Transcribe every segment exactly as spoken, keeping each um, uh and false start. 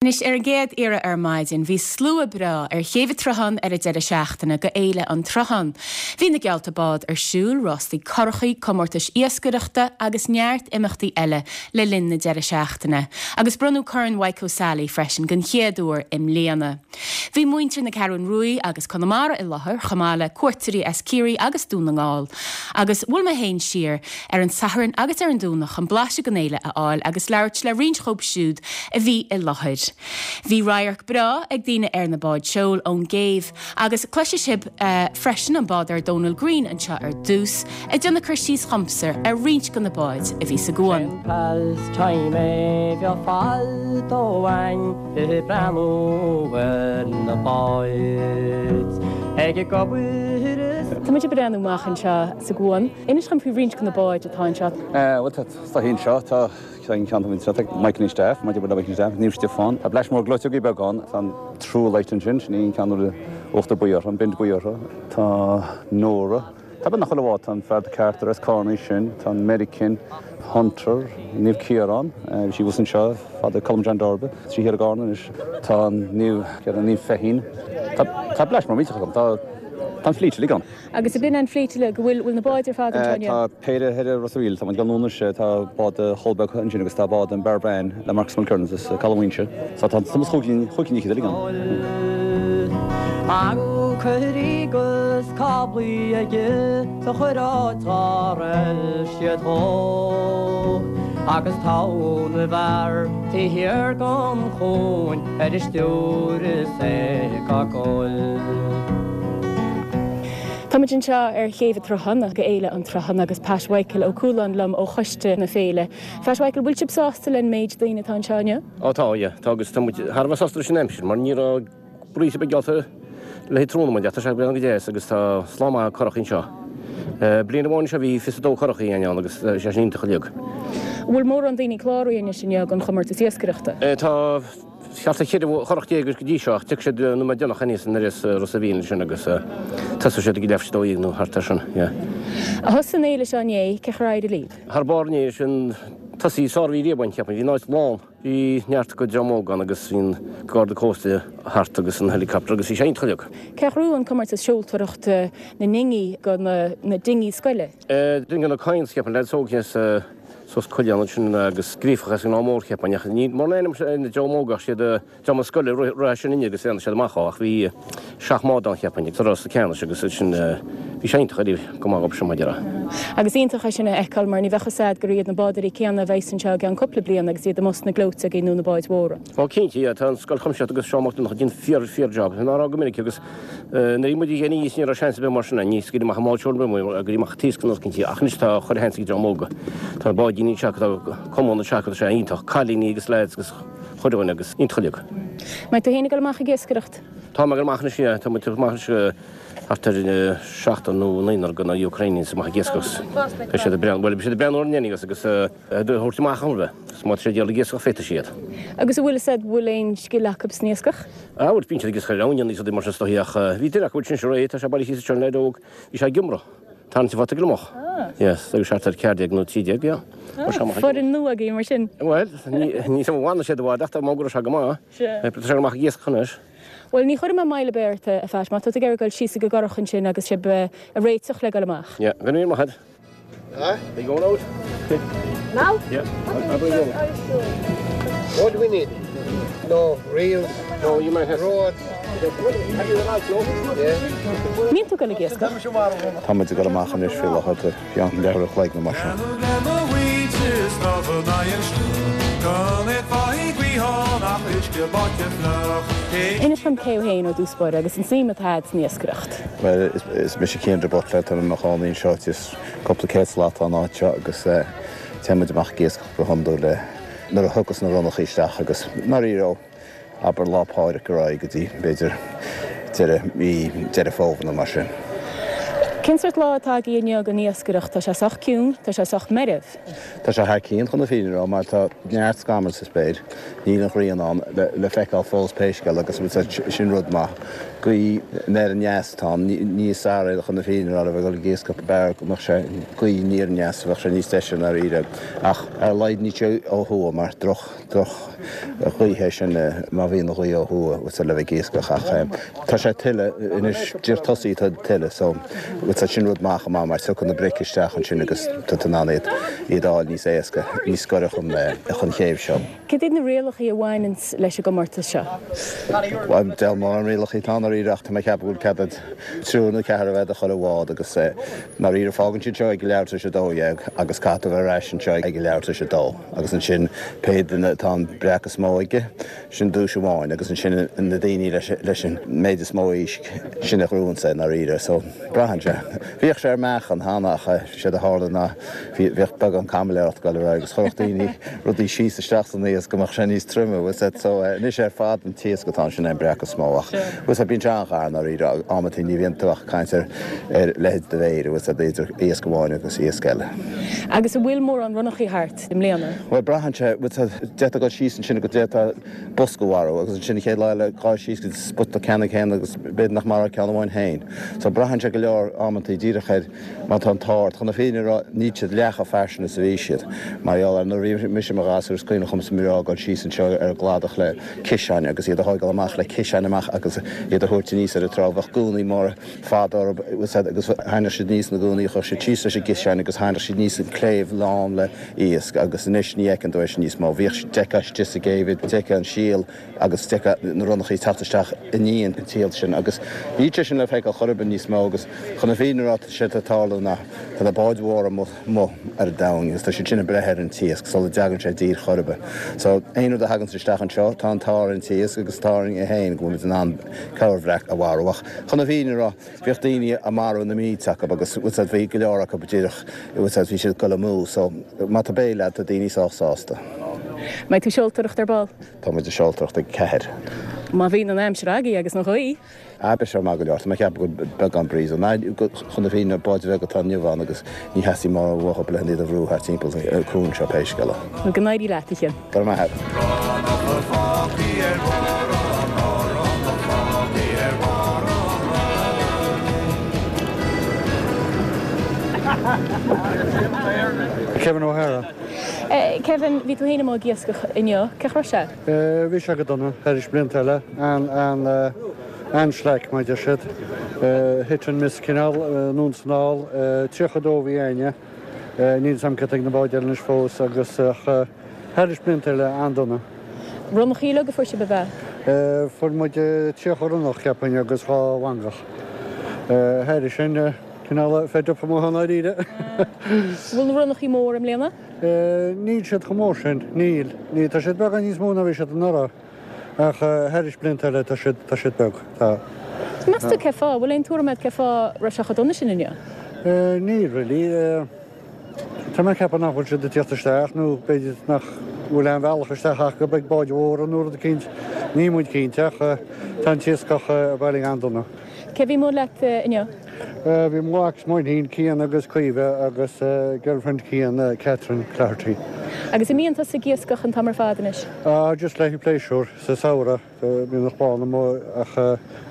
Anois ar an gcéad iarraidh ar maidin, bhí slua breá ar chéibh an tSrutháin ar an deireadh seachtaine go Fhéile an tSrutháin. Bhí na geallta bád ar siúl, rástaí curachaí, comórtais iascaireachta agus neart imeachtaí eile le linn na deireadh seachtaine. Agus bronnadh Corn Mhaidhc O'Sally freisin den chéad uair i mbliana. Bhí muintir na Ceathrún Rua agus Conamara i láthair chomh maith le cuairteoirí as Ciarraí agus Dún na nGall. Agus bhuail mé féin siar ar an Satharn agus ar an Domhnach chun blaiseadh den fhéile a fháil agus labhairt le roinnt díobh siúd a bhí i láthair. Bhí radharc breá ag daoine ar na báid seoil ón gcéibh agus cloisfidh sibh uh, freisin an bádóir Donal Green anseo ar dtús ag déanamh cur síos dhomsa ar roinnt de na báid a bhí sa gcuan. Pastime bhí fáil breathnú ar na báid ag gobair Tá muid ag breathnú amach anseo sa gcuan. Inis dom faoi roinnt de na báid atá anseo. Bhuel tá tá seo tá ceann ceann Mike and Staff, Mike and Staff, Naomh Stiofán. Tá bleis mór gleoiteogaí beagán tá True Light ansin sin í ceann uachtar buí an bend buí Tá Nora. Tá ben nach chuile tá an Fear Carter as Carney sin, tá an American Hunter Naomh Ciarán, bhí sí bus anseo fada Colm John Darby, trí hir Garna tá Naomh Naomh Feichín. Tá bleis mór míte tá Tá fleet uilig ann. Agus a bin an fleet le go bhfuil bhfuil na báid ar fad anseo Tá péire thoir Ros a' Mhíl tá gan sé tá bád Holbeck ansin agus tá bád an Barbran le Marcus Mulkerns is Calhainse. So tá sumas chucín uilig ann. Ancoirí gus cáblaí aige sa chuiráid siad dhó. Agus tá na bhfear taobh thiar den chuan ar an stiúir is é go. Táimid anseo ar chéibh an tSrutháin go Fhéile an tSrutháin agus Pat Michael Ó Cualáin liom ó choiste na féile. Pat Michael bhfuil sibh sásta leis an méid daoine atá anseo inniu? Ó tá tá agus tá thar a bheith sásta leis an aimsir mar ní raibh breeze beag geallta le tráthnóna mar tá sé go deas agus tá slám maith curach anseo. Bliain amháin seo bhí fiche dó curach ann agus sé sin iontach uilig. Bhfuil mórán daoine cláraithe inniu don chomórtas iascaireachta? Tá Ceart cheithre churach déag go dtí seo ach siad nu me déanach aníos an ris Ros a' Mhíl sin agus tá siad ag leis dó nó thart sin. A thos an éile seo né ce raide líb? Thar barné sin tosaí sár-bhí riabhain ceapaim, bhí náid lán. Bhí neart go dreamógan agus bhí'n garda cósta thart agus an helicopter agus bhí sé iontach. Cé bhuaigh an comórtas seoltóireachta na ndingí go na, na dingí scoile? Duine na coins ceapaim le sógnes sos coileán sin agus grífach an mór ceapaim ní mar na dreamógach siad dream scoile ra sin inne agus sé amach ach bhí seacht mbád ann ceapaim sa rás ceannais agus sin bhí sé iontach go maith sin maidir. Agus iontach é sin a fheiceáil mar ní bheadh a fhios agat gur iad na bádóirí céanna a bheas anseo i gceann cúpla bliain agus iad amuigh sna gleoiteogaí nó na báid mhóra. Ó cinnte tá an scoil chumseach agus Seán Mac Donncha fíor fíor job. Ná go minic agus nuair muid ghéine ní raibh seans bheith mar sin ní go amach máil go amach tíos go cinnte ach anois tá chuir hen dreamóga. Tá báidíní se tá cumann se sé iontach cailíní agus lads agus chuireáin agus iontach. Mbeidh tú féin ag dul amach ag iascaireacht? Tá mar amach na sé tá amach thart ar seachtar nó naonúr go na Ukrainians amach ag iascaireacht. Tá siad brean bhfuil siad brean orna agus agus thuirt amach anbe má sé déal iascach féadfaidh siad. Agus a bhfuil said bhfuil aon scil acu san iascach? A bhfuil bíonn siad ag iascach ann níos mar sin stoíach bhí duine acu sin sé tá sé bailí sin le dóg bhí sé gimra. Tá sé fata glomach. Yes, agus seart ar ceathair déag nó trí déag, ja. Foireann nua agaibh mar sin. Well, ní sem bhna sé bhád ach má go sé go maith. Sé amach iascach anois. Well ní chuirfidh mé moill ar bith ort a Phat má tá tú ag dul síos go gcurach ansin agus sibh ag réiteach le dul amach. Ja, go raibh maith. Huh? They going out? Now? Yeah. I'll bring you. What do we need? No, reels. No, you might have. Rods. Yeah. Mbíonn tú ag iascach? Tá muid ag dul amach anois faoi láthair ceann leathuair a chloig nó mar sin. Inis dom cé thú féin ó dtús báire agus an suim atá agat san iascaireacht. Well is mise Cian de Butler tá mé i mo chónaí anseo is cúpla céad slat ón áit seo agus téimid amach ag iascach go hiondúil le nuair a thugas na ronnachaí isteach agus mar ó abair Lá Pádraig go rá go dtí b'fhéidir deireadh mí Deireadh Fómhair nó mar sin. Cén sórt lá atá agaibh inniu don iascaireacht? Tá sé sách ciúin, tá sé sách meirbh. Tá sé thar cionn chun na fírinne a rá mar tá neart scamall sa spéir, níl an ghrian ann le feiceáil fós pé scéal agus sin rud maith. Gaoth anoir aneas atá ann, ní is fearr é chun na fírinne a rá le bheith ag dul ag iascach, b'fhearr go mbeadh sé gaoth aniar aneas, bheadh sé níos deise i ndáiríre. Ach ar a laghad níl sé ó thuaidh mar droch droch ghaoth é sin má bhíonn an ghaoth ó thuaidh le bheith ag iascach ach tá sé tuile anois díreach tosaithe tá tuile so sin rud maith chomh maith mar tiocfaidh na bric isteach ansin agus tá tú in ann iad iad a fháil níos éasca, níos gaire chun chun chéibh seo. Cad iad na rialacha a bhaineanns leis an gcomórtas seo? Bhuel, deil mórán rialacha atá ann dáiríre ach tá mé ag ceapadh go bhfuil cead ag triúr nó ceathrar a bheith ag chuile bhád agus ndáiríre fágann siad seo ag a leathuair tar éis a dó dhéag agus caithfidh tú a bheith ar ais anseo ag a leathuair tar éis a dó agus ansin pé duine atá an breac is mó aige, sin duais amháin agus ansin na daoine leis an méid is mó éisc, sin a ghnóthaíonns é i ndáiríre. So, braitheann sé. Bhíodh sé ar meáchan cheana ach séard a tharla ná bhíodh beagán caimiléireacht ag dul ar aghaidh agus chuirfeadh daoine rudaí síos isteach san iasc go mbeadh sé níos troime, bhfuil 's a'd. So, anois ar fad an t-iasc atá ann sin é an breac is mó ach, bhfuil 's a'd, bíonn sé an-ghar i ndáiríre, amantaí ní bhíonn tú ach ag caint ar ar leithead do mhéire, bhfuil 's a'd, idir iasc amháin agus iasc eile. Agus an bhfuil mórán ronnachaí thart i mbliana? Bhuel, braitheann sé, bhfuil 's a'd, d'fhéadfá dul síos ansin agus d'fhéadfá bosca a mharú agus ansin an chéad lá eile gabh síos go dtí spota ceannann céanna agus b'fhéidir nach marófá ceann amháin féin. So braitheann sé go leor amantaí díreach ar má tá an t-ádh ort. Chun na fírinne a rá, níl siad leath chomh fairsing is a bhí siad. Mar gheall ar nuair a bhí mise i mo ghasúr is cuimhin liomsa mná ag dul síos anseo ar an gcladach le ciseáin agus iad a thóigeáil amach le ciseáin amach agus iad a thabhairt aníos ar an trá. Bheadh gúnaí móra fada orthu agus tharraingeodh siad aníos na gúnaí, chuirfeadh siad síos leis an gciseán agus tharraingeodh siad aníos an cléibh lán le iasc agus anois ní fheiceann tú é sin níos mó. Bhíodh, d'fheicfeá istigh sa gcéibh iad, d'fheicfeá an síol agus d'fheicfeá na ronnachaí ag teacht isteach i ndiaidh an tsíl sin agus níl sé sin le feiceáil chor ar bith níos mó agus chun na fírinne a rá tá sé ag tarlú ná tá na báid mhóra amuigh ar an domhain agus tá siad sin ag breith ar an t-iasc sula dtagann sé i dtír chor ar bith. So aon rud a thaganns isteach anseo tá an t-ádh ar an t-iasc agus tá orainn é féin go bhfuil muid in ann corrbhreac a mharú ach chun na fírinne a rá bhíodh daoine ag marú na mílte acu agus bhí go leor acu díreach bhí siad ag dul amú so má tá béile agat tá daoine sách sásta. Mbeidh tú seoltóireacht ar ball? Tá muid ag seoltóireacht ag ceathair. Má bhíonn an aimsir agaibh agus an ghaoth. Ah, beidh sé maith go leor. Tá mé ag ceapadh go bhfuil beagán breeze ann. Chun na fírinne, báid bheag atá inniu ann agus ní theastaíonn mórán uathu le iad a bhrú thart timpeall an cuan seo pé scéal é. Bhuel, go n-éirí leat, a Chinn. Go raibh maith agat. Kevin O'Hara. Kevin, bhí tú féin amuigh ag iascach inniu. Cén chaoi a raibh sé? Bhí sé go dona, thairis blianta eile. An-slack, mar a deir siad. Hit and miss cineál, anonn is anall. Tríocha a dó a bhí a'inne. Níl 'fhios a'm cad tá ag na báid eile anois fós agus ach thairis blianta eile, an-dona. Ronnachaí uilig a fuair sibh ab ea? Fuair muid tríocha ronnach, cheapfainn, agus dhá mhangach. Thairis sin, cineál fed up amuigh i ndáiríre. Bhfuil na ronnachaí mór i mbliana? Níl siad chomh mór sin, níl. Níl, tá siad beagán níos mó ná bhí siad anuraidh. Ach thairis blianta eile tá siad, tá siad beag, tá. Meas tú cé fáth? Bhfuil aon tuairim agat cé fáth raibh sé chomh dona sin inniu? Níl really. Tá mé ag ceapadh nach bhfuil siad ag tíocht isteach nó b'fhéidir nach bhfuil aon bhealach isteach acu ag báid mhóra nó rud eicínt. Níl muid cinnte ach tá an t-iascach bailithe an-dona. Cé bhí amuigh leat inniu? Bhí mo mhac is mo iníon, Cian agus Caoimhe agus girlfriend Cian, Catherine Cloherty. Agus an mbíonn tusa ag iascach an t-am ar fad anois? Ah, just le haghaidh pléisiúr, sa samhradh, bíonn an chlann amuigh ach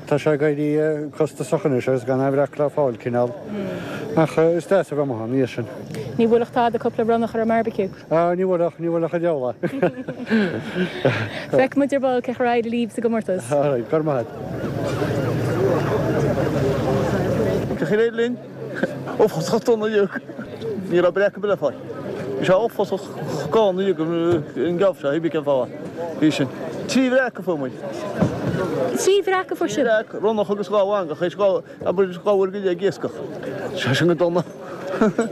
tá sé ag éirí costasach anois agus gan aon bhreac le fáil cineál. Ach is deas a bheith amuigh ann, níl sin. Ní bhuailfeadh tada cúpla ronnach ar an mbarbeque? Ah, ní bhuailfeadh, ní bhuailfeadh an diabhal é. Feicfidh muid ar ball cén chaoi ar éirigh libh sa gcomórtas. All right, go raibh maith agat. Cén chaoi ar éirigh linn? Uafásach dona inniu. Ní raibh breac ar bith le fáil. Bhí sé uafásach gann inniu an geábh seo, thuig cén fáth. Bhí sin. Trí bhreac a fuair muid. Trí bhreac a fuair sibh? Trí bhreac, ronnach agus dhá mhangach, théis dhá, abair, dhá uair go leith ag iascach. Tá sé sin go dona.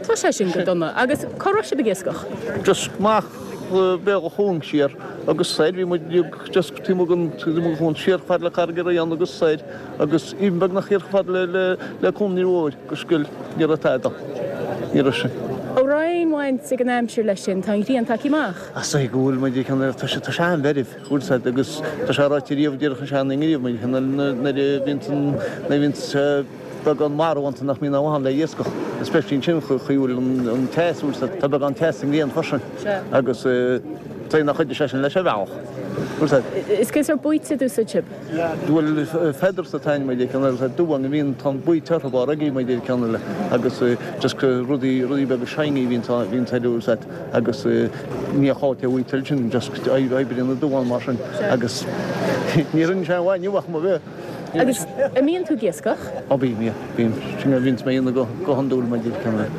Tá sé sin go dona. Agus cá raibh sibh ag iascach? Just amach béal an chuain siar agus soir, bhí muid just taobh amuigh den, taobh amuigh den chuan, siar chomh fada le Carraig an Rian agus soir agus even beagnach thiar chomh fada le, le, le Cuan an Fhir Mhóir agus scoil, ní raibh tada. Ní raibh sin. An raibh aon bhaint ag an aimsir leis sin, tá an ghrian tagtha amach. Is dóigh go bhfuil muid ag ceann, tá sé, tá sé an-mheirbh, bhfuil 's a'd, agus tá sé ráite riamh, déarfadh an seandaoine riamh, muid ag ceann nuair a bhíonns an, nuair a bhíonns, beagán marbh iontu nach mbíonn ann le iascach, especially ansin chaoi bhfuil an teas, tá beagán teas sa ngrian freisin agus tá nach chuidigh sé sin leis ar bhealach. Is cén sórt baoite a d'úsáid sibh? Bhuel, feathers atá ann, mar ceann eile, duán a bhíonn, tá an baoite orthu á rugaí mar ceann eile agus just rudaí, rudaí beaga shiny a bhíonn, bhíonn ar úsáid agus ní áit a bhfuil sin just oibríonn na duáin mar sin agus ní rinne sé amháin inniu ach mo bheith. Agus an mbíonn tú ag iascach? Ó bím, yeah, bím. Sin a bhíonns mé a dhéanamh go, go hiondúil mar ceann eile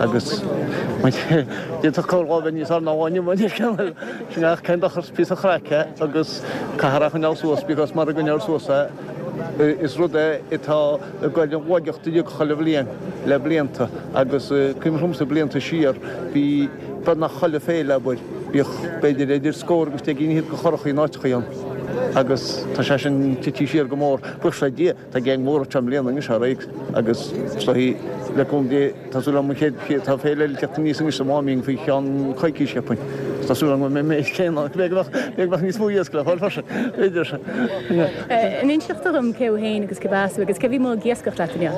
agus d'fhéadfadh corr dhá bheith níos fearr ná amháin inniu mar ceann eile. Sin ach cén dochar is píosa craic é agus caithfear é a choinneáil suas because mara gcoinneofar suas é is rud é atá ag goil i laigeacht uilig chuile bhliain le blianta agus cuimhin liomsa blianta siar bhí beagnach chuile féile abair bhíodh b'fhéidir idir scór agus deich gcinn fhichead de churachaí in áiteachaí ann agus tá sé sin tite siar go mór. Buíochas le Dia tá gang mór anseo i mbliana anois ar aghaidh agus is dóichí le cúnamh Dé tá súil agam an chéad chéad tá féile eile teacht aníos anois sa Mháimín faoi cheann coicís cheapfainn. Tá súil agam go mbeidh mé céanna b'fhéidir go mbeadh b'fhéidir go mbeadh níos mó iasc le fáil freisin b'fhéidir. An inseoidh tú dom cé thú féin agus cé as thú agus cé bhí amuigh ag iascach leat inniu?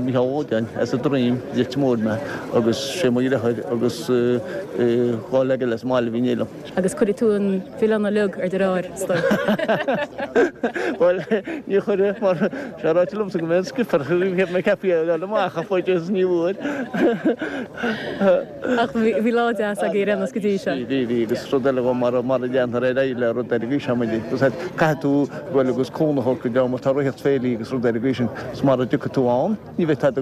Micheál Ó Loideáin as an Droim, Leitir Móir mé agus sé mo dheartháir agus dhá leaid eile as an mbaile a bhí in éindí liom. Agus cuirfidh tú an mhilleán uilig ar do dheartháir, is dóigh. Bhuel, ní chuirfidh mar sé ráite liomsa go mbeidh an skipper cheap mé ceaptha é a fháil amach ach faoi is ní bhfuair. Ach bhí lá deas agaibh ar aon nós go dtí seo. Bhí, bhí, bhí agus rud eile dhó mar mar a dhéantar ar aghaidh le rud ar an gcaoi seo muid agus caithfidh tú bhuel agus cúnamh a thabhairt go deo má tá rith féilí agus rud ar an gcaoi sin is mara dtiocfaidh tú ann ní bheidh tada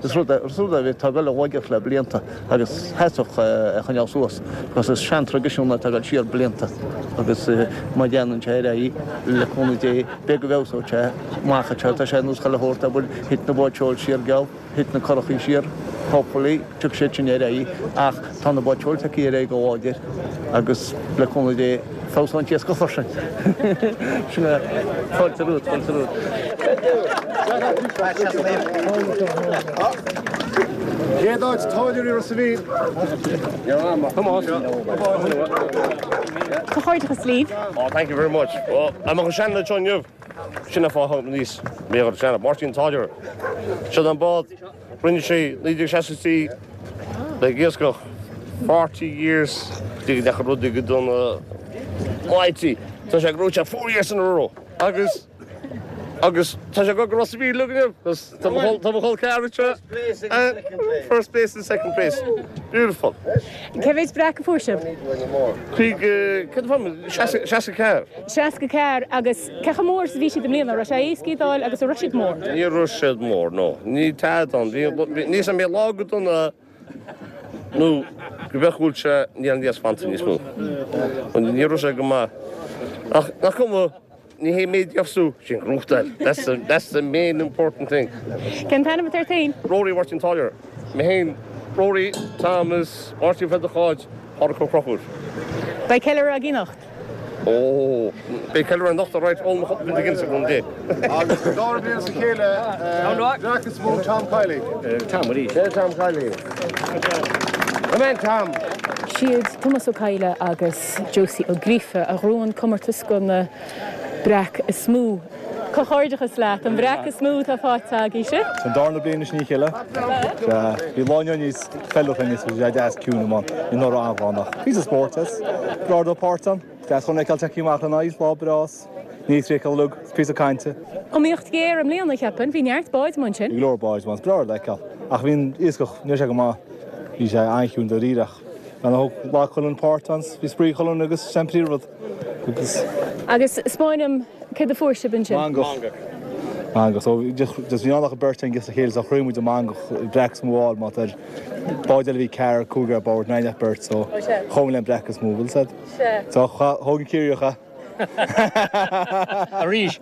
is rud é is rud é atá ag dul i laigeacht le blianta agus theasfadh é a choinneáil suas because is seantraidisiún atá ag dul siar blianta agus má dhéanann sé ar aghaidh le cúnamh Dé beidh go bhfeabhsóidh sé amach anseo tá sé ar nós chuile shórt abair thit na báid seoil siar geall thit na curachaí siar hopefully tiocfaidh siad sin ar aghaidh ach tá na báid seoil tagtha ar aghaidh go láidir agus le cúnamh Dé feabhsóidh an t-iascach freisin. Sin é. Fáilte romhat, fáilte romhat. Chéad áit Táilliúirí Ros a' Mhíl. Comhghairdeachas libh. Oh, thank you very much. Well, I'm an sean anseo inniu. Sin an fáth níos mé ar sean Máirtín Táilliúir. Seo an bád Rinne sé naoi déag seasca trí le iascach forty years go ndeachaigh rudaí go dona mighty. Tá sé gnóite four years in a row agus agus tá sé go go Ros a' Mhíl inniu agus tá mo tá mo chol ceathrar anseo. First place and second place. Beautiful. Cé mhéid breac a fuair sibh? Cúig céard a fuair seasca ceathair. Seasca ceathair agus cé chomh mór is a bhí siad i mbliana? Raibh sé éasca iad a fháil agus an raibh siad mór? Ní raibh siad mór, no. Ní tada ann. Bhí, níos mé lá go dona nó go bheadh bhfuil sé níl an iasc fanta níos mó. Ní raibh sé go maith. Ach nach cuma, ní hé méid fheabhsú, sin gnóthachtáil. That's the, that's the main important thing. Cén t-ainm atá ort féin? Rory Mháirtín Táilliúir. Mé féin, Rory, Thomas, Máirtín Pheadair Cháit, Pádraig Ó Conchúir. Beidh ceiliúradh agaibh anocht. Ó, beidh ceiliúradh anocht alright, ól mo chup de Guinness ag an dé. Agus an dara bliain as a chéile, breac is mó Tom Kiely. Tom arís. Sé Tom Kiely. Come in, Tom! Siad Tomás Ó Cadhla agus Josie Ó Gríofa a ghnóthaigh an comórtas do na breac is mó. Comhghairdeachas leat, an breac is mó atá faighte agaibhse. An darna bliain anois i ndiaidh a chéile. Sea, bhí lá inniu níos feiliúnaí níos bhí sé deas ciúin amuigh ann, anuraidh an-ghlan ach píosa spóirt is breá dó páirt ann. Deas chun feiceáil tagtha amach le n-aghaidh, lá breá 's ní thriail uilig, 's píosa cainte. Iomaíocht ghéar i mbliana, cheapfainn, bhí neart báid amuigh ansin. Bhí go leor báid amuigh, is breá le feiceáil. Ach bhí an iascach, ní raibh sé go maith, bhí sé an-chiúin dáiríre ach bhean a thóg ghlac chuile dhuine páirt ann, 's bhí spraoi chuile dhuine agus sin an príomhrud agus. Agus 'spáin dom céard a fuair sibh ansin? Mangach. Mangach. So just bhí ann ach beirt againn le chéile so chroith muid an mangach breac is mó a fháil má tá ar báid eile bhí ceathrar cúigear ar bord níl ach beirt so chomh le an breac is mó bhfuil said. So thóg an Ciarraíoch é. Arís.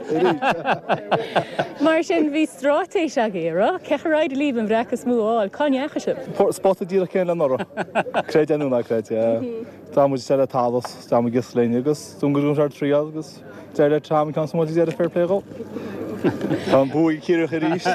Mar sin bhí straitéis agaibh, an raibh? Cé chomh éirigh libh an bhreac is mó a fháil? Cá ndeachaigh sibh? Spota díreach céanna le anuraidh. Creid é nó ná creid, yeah. D'fhan muid isteach le talamh, d'fhan muid linn agus dún go dtí an triail agus Deir le Tom an ceann is mó ag deireadh fair play dhó. Tá an bua ag Ciarraí arís.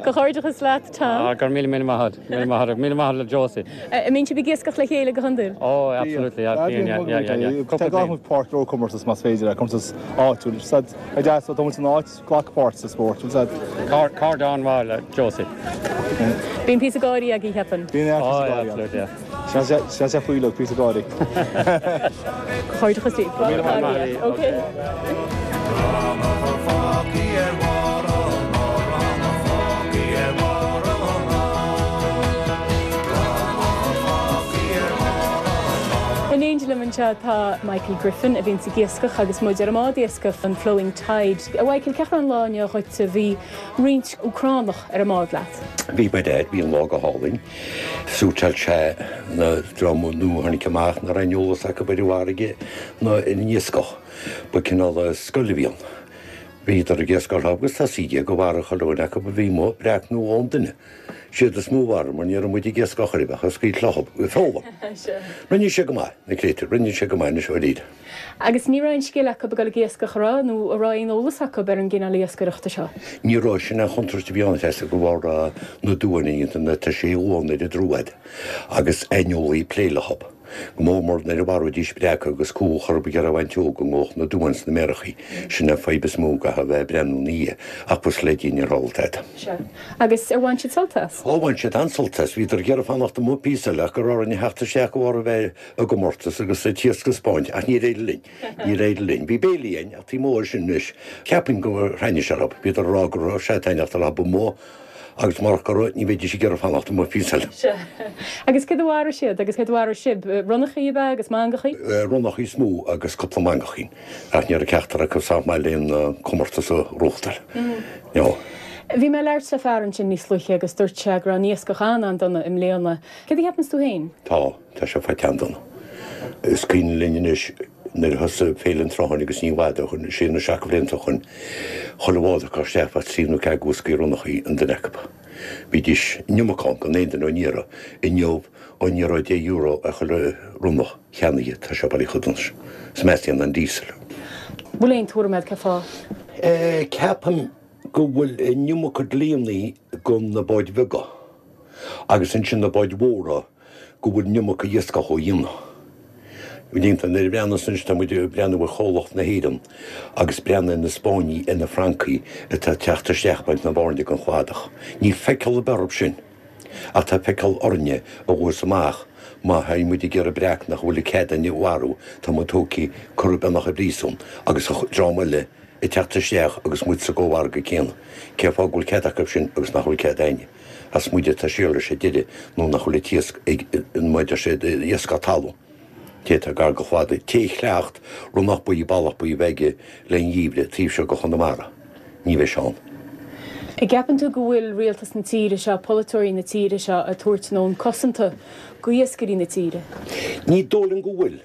Comhghairdeachas leat Tom. Ah, gur míle míle maith míle maith míle maith le Josie. An mbíonn sibh ag iascach le chéile go hiondúil? Oh, absolutely. Yeah, yeah, yeah, yeah, yeah. Tá gach páirt ró comórtas más féidir le comórtas áitiúil. Sad a deas tá san áit glac páirt sa spórt. Sad Cardán mhaith le Josie. Bíonn píosa gáirí agaibh cheapfainn. Bíonn Oh, yeah, absolutely, yeah. Se se faoi píosa gáirí. Comhghairdeachas libh. Míle maith agat. Okay. In éindí liom anseo tá Michael Griffin a bhíonn ag iascach agus muid ar an mbád iascaigh an Flowing Tide. A Michael cén chaoi an lá inniu dhuit a bhí roinnt Úcránach ar an mbád leat. Bhí ba dead bhí an lá go hálainn. Suiteáil sé na dream nua tháinig amach nach raibh aon eolas acu ar an bhfarraige ná ar an iascach. Ba cineál scoil a bhí ann. Bhíodar ag iascach agus tá sí go bhar cholúin acu a bhí mo breac nó ón duine. Siad is mó war mar ní raibh muid ag iascach ar bheith scaoil loch foghlaim. Rinne sé go maith na créatúir, rinne sé go maith na seoiríd. Agus ní raibh aon scil acu ag dul ag iascach a rá nó a raibh aon eolas acu ar an gcineál iascaireachta seo. Ní raibh sin an chontúirt a bhí ann feasta go bhar na duine na tá sé uan ar a droad agus aineolaí plé le hob. Go mór mór nuair a mharaídís breac agus cú chur go raibh an teog go ngóch na duan sna méarachaí sin an fadhb is mó go a bheith breathnú ní ach bus le díon ar rolltad. Agus ar bhain siad sult as? Ó bhain siad an-sult as, bhíodar ag iarraidh fanacht amuigh píosa le go raibh orainn a theacht isteach go bhar a bheith i gcomórtas agus sa tíos go Spáint ach ní réidir linn. Ní réidir linn. Bhí béilí againn ach taobh mór sin anois. Ceapaim go thaitnigh sé leo. Bhíodar ag rá go raibh sé taitneamhach le ba mó agus mar go ní bheidís ag iarraidh fanacht amuigh píosa eile. Agus céard a mharaigh siad agus céard a mharaigh sibh ronnachaí ab ea agus mangachaí? Ronnachaí is mó agus cúpla mangachín ach ní raibh ceachtar acu sách maith le aon comórtas a reáchtáil. No. Bhí mé ag labhairt le fear ansin níos luaithe agus dúirt sé go raibh an iascach an-an-dona i mbliana. Céard a cheapann tú féin? Tá, tá sé faighte an-dona. Is cuimhin linn anois nuair a thosaigh Féile an Tsrutháin agus ní i bhfad ó shin, sé nó seacht bhlianta ó shin, chuile bhád acu isteach bheadh trí nó ceathair boscaí ronnachaí an duine acu. Bhídís an iomarca ann gan aon duine á n-iarraidh. Inniu, á n-iarraidh deich euro ar chuile ronnach cheannaithe, tá sé bailí chomh dona sin. Is meascán an diesel. Bhfuil aon tuairim agat cén fáth? Ceapaim go bhfuil an iomarca dlíonnaí go na báid bheaga agus ansin na báid mhóra go bhfuil an iomarca iascach á dhéanamh. Déanta nuair a bhreathnas anois tá muid ag breathnú ar chomhlacht na hÉireann agus breathnú ar na Spáinnigh ar na Francaigh atá ag teacht isteach ag baint na bhairne den chladach. Níl feiceáil ar bith orthu sin ach tá feiceáil orainne a ghabhas amach má théann muid ag iarraidh breac nach bhfuil cead againn a mharú tá muid tógtha curtha beagnach i bpríosún agus dream eile ag teacht isteach agus muid sa gcomhargadh céanna. Cén fáth go bhfuil cead acu sin agus nach bhfuil cead againne? As muid atá siar leis ar deireadh nó nach bhfuil an t-iasc ag maidir sé iasc talún. Té atá gar go chladaigh, té chleacht ronnach buí ballach buí bheith aige le an gheimhreadh taobh seo go Chonamara. Ní bheidh sé ann. An gceapann tú go bhfuil rialtas na tíre seo, polaiteoirí na tíre seo ag tabhairt a ndóthain cosanta go iascairí na tíre? Ní dóigh liom go bhfuil.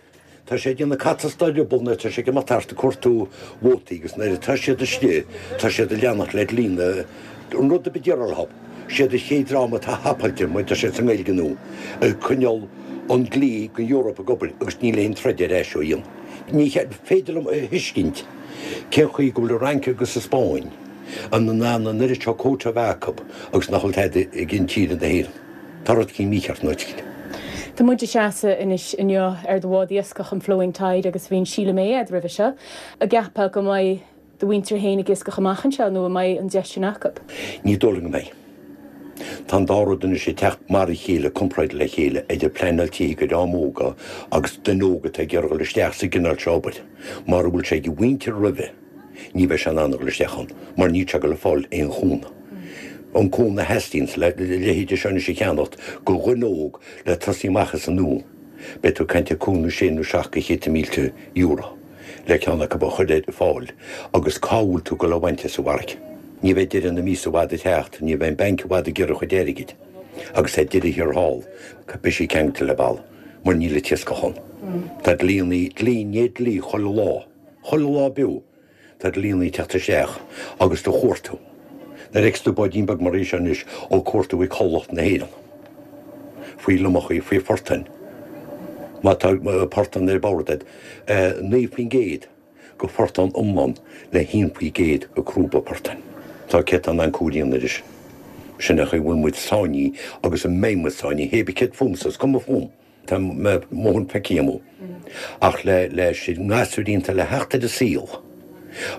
Tá sé ag déanamh cat as dá drioball nuair atá sé ag imeacht thart ag cuartú vótaí agus nuair atá siad istigh tá siad ag leanacht le dlí na an rud a bith d'iarraidh orthu. Siad an chéad dream atá thapáilte mar tá siad sa nGaeilge nua ag coinneáil an dlí go Eoraip ag obair agus níl aon troid ar ais ó dhéanamh. Ní féidir liom a thuiscint cén chaoi go bhfuil an Fhrainc agus an Spáinn an in ann an oiread seo quota a bheith acu agus nach bhfuil tada ag an tír na hÉireann. Tá rud éicint mícheart nó éicint. Tá muid ag seasamh anois inniu ar do bhád iascach an Flowing Tide agus bhí an Síle May agat roimhe seo. An gceapfá go mbeidh do mhuintir féin ag iascach amach anseo nó an mbeidh an deis sin acu? Ní dóigh liom go mbeidh. Tá an dá rud anois ag teacht mar a chéile, comparáid le chéile, idir pleanáil tithe go dream óga agus duine óg atá ag iarraidh dul isteach sa gcineál seo obair. Mara bhfuil sé ag a mhuintir roimhe, ní bheidh sé in ann a dhul isteach ann, mar níl sé ag dul a fáil aon chúnamh. An cúnamh a theastaíonn le leithéide seo anois a cheannacht go dhuine óg le tosaí amach as an nua, beidh tú ag caint ar cúig nó sé nó seacht go chéadta mílte euro le ceann acu a chur ar fáil agus cá bhfuil tú ag dul a bhaint as an bhfarraige? Ní bheidh deireadh na míosa i bhfad ag teacht, ní bheidh an banc i bhfad ag iarraidh a chuid airgid, agus ar deireadh thiar thall, beidh sí ceangailte le balla, mar níl an t-iascach ann. Tá dlíonnaí, dlí i ndiaidh dlí chuile lá, chuile lá beo, tá dlíonnaí ag teacht isteach agus do chuartú. Nuair a fheiceas tú báidín beag mar é seo anois á cuartú ag Cabhlach na hÉireann, faoi lomachaí, faoi phortáin, má tá portán ar bord agat, naoi faoin gcéad. go phortán iomlán le haon faoi gcéad go crúba portáin. Tá céatadán an comhlíonadh leis. Sin é an chaoi a bhfuil muid sáinnithe agus a mbeidh muid sáinnithe, hé bí céard fúmsa, is cuma fúm. Tá mo dhóthain feicthe agam. Ach le leis na gasúiríní atá le theacht ar an saol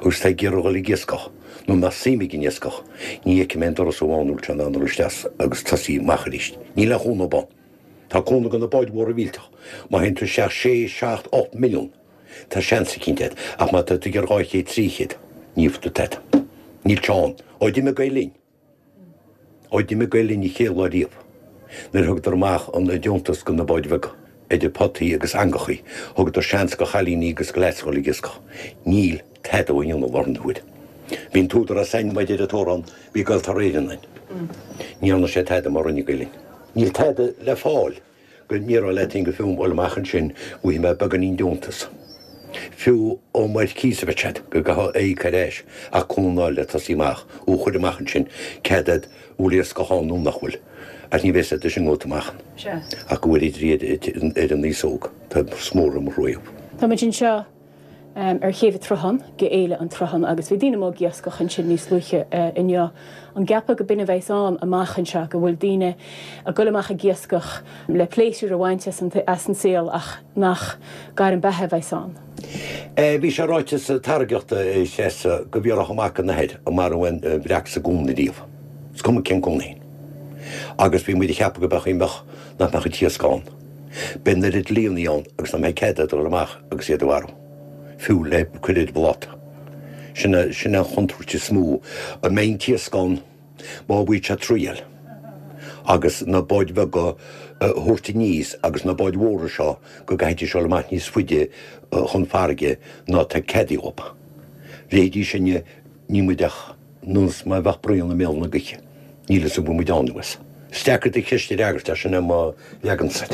agus tá ag iarraidh dhul ag iascach, nó nach suim ag an iascach, ní fheicfidh mé aon doras amháin a bhfuil sé in ann dul isteach agus tosaí amach arís. Níl aon chúnamh ann. Tá cúnamh do na báid mhóra mhillteach. Má théann tú isteach sé, seacht, ocht milliún, tá seans eicínt agat, ach má tá tú ag iarraidh dhá chéad, trí chéad, ní bhfuil tú tada. Níl sé ann. Ó d'imigh Gael Linn. Ó d'imigh Gael Linn an chéad lá riamh, nuair a thugadar amach an deontas do na báid bheaga, idir potaí agus eangachaí, thugadar seans do chailíní agus do leaids dhul ag iascach. Níl tada á dhéanamh i láthair na huaire. Bhí an t-údarás ann, mar a deir an t-amhrán, bhí Gaeltarra Éireann ann. Ní dhearna sé tada mar a rinne Gael Linn. Níl tada le fáil go ndéarfá leat féin go fiú bhuel amach ansin go bhfaighidh mé beagáinín deontas. Fiú ó mar cíos a bheadh siad, go gcaithfeá é a íoc ar ais ach cúnamh a fháil le tosaí amach, ó chuir amach ansin cead agat bhfuil iascach ann nó nach bhfuil. Ach ní bheidh siad sin ag amach ach go bhfuil idir iad ar an aos óg. Tá is mór mo thrua. Táimid anseo ar chéibh an tSrutháin, go Fhéile an tSrutháin agus bhí daoine amuigh ag iascach ansin níos luaithe inniu. An gceapfá go b'in a bheas ann amach anseo, go bhfuil daoine ag dul amach ag iascach le pléisiúr a bhaint as an saol ach nach gairm beatha a bheas ann? Bhí sé ráite sa tairgeacht a Threasa go bhfiafródh mac an athair an maireadh aon bhreac sa gcuan ariamh. Is cuma cén cuan é. Agus bhí muid ag ceapadh go mbeadh mbeadh nach mbeadh an t-iasc ann. Beidh an oiread líonadh ann agus nach mbeidh cead dul amach agus iad a mharú. Fiú le cur ar bpláta. Sin é sin é an chontúirt is mó. An mbeidh an t-iasc ann má bhfuil sé triail agus na báid bheaga a thabhairt aníos agus na báid mhóra seo go gcaithfidís dul amach níos faide chun farraige ná tá cead acu. Leithéidí sinne ní muid ach nós mar a bheadh braon i mbéal na gaoithe. Níl fhios an bhfuil muid ann nó as. Is deacair do cheist a fhreagairt ach sin é mo leagan-sa.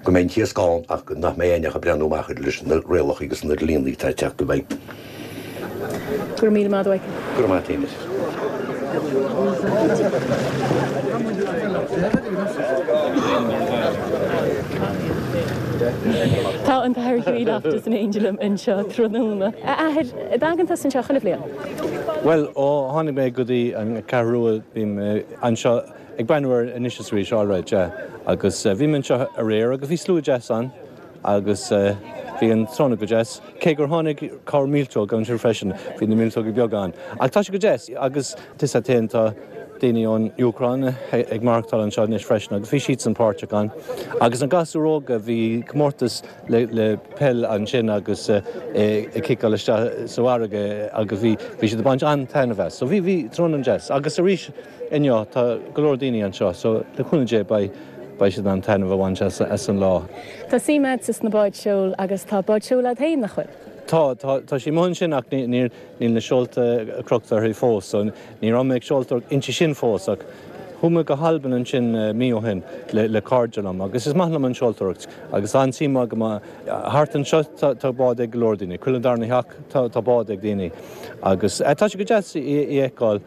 Go mbeidh an t-iasc ann ach nach mbeidh éinne ach ag breathnú amach air leis na rialacha agus na dlíonnaí atá ag teacht i bhfeidhm. Go raibh míle maith agat. Go raibh maith agat. Tá an tAthair Hughie Loftus in éindí liom anseo tráthnóna. A Athair, an dtagann tusa anseo chuile bhliain? Bhuel, ó tháinig mé go dtí an Cheathrú Rua, bím anseo ag breathnú air anois is arís, alright, yeah. Agus bhí mé anseo aréir agus bhí slua deas ann agus bhí an tráthnóna go deas, cé gur tháinig corr míoltóg ansin freisin, bhí na míoltóga beaga ann. Ach tá sé go deas agus tá a fhios agat féin, tá daoine ón Úcráin ag maireachtáil anseo anois freisin agus bhí siadsan páirteach ann. Agus na gasúir óga, bhí comórtas le le peil ansin agus ag ciceáil isteach sa bhfarraige agus bhí bhí siad ag baint an-taitneamh as. So bhí bhí tráthnóna an-deas. Agus arís inniu tá go leor daoine anseo so le cúnamh Dé beidh beidh siad in ann taitneamh a bhaint as as an lá. Tá suim agatsa sna báid seoil agus tá bád seoil agat féin, nach bhfuil? Tá, tá, tá sí amuigh ansin ach ní níl níl na seolta crochta uirthi fós so ní raibh mé ag seoltóireacht inti sin fós ach chuaigh mé go hAlbain ansin mí ó shin le le cairde liom agus is maith liom an seoltóireacht agus tá an-suim agam thart anseo tá tá bád ag go leor daoine, chuile darna theach tá tá bád ag daoine agus tá sé go deas í a fheiceáil.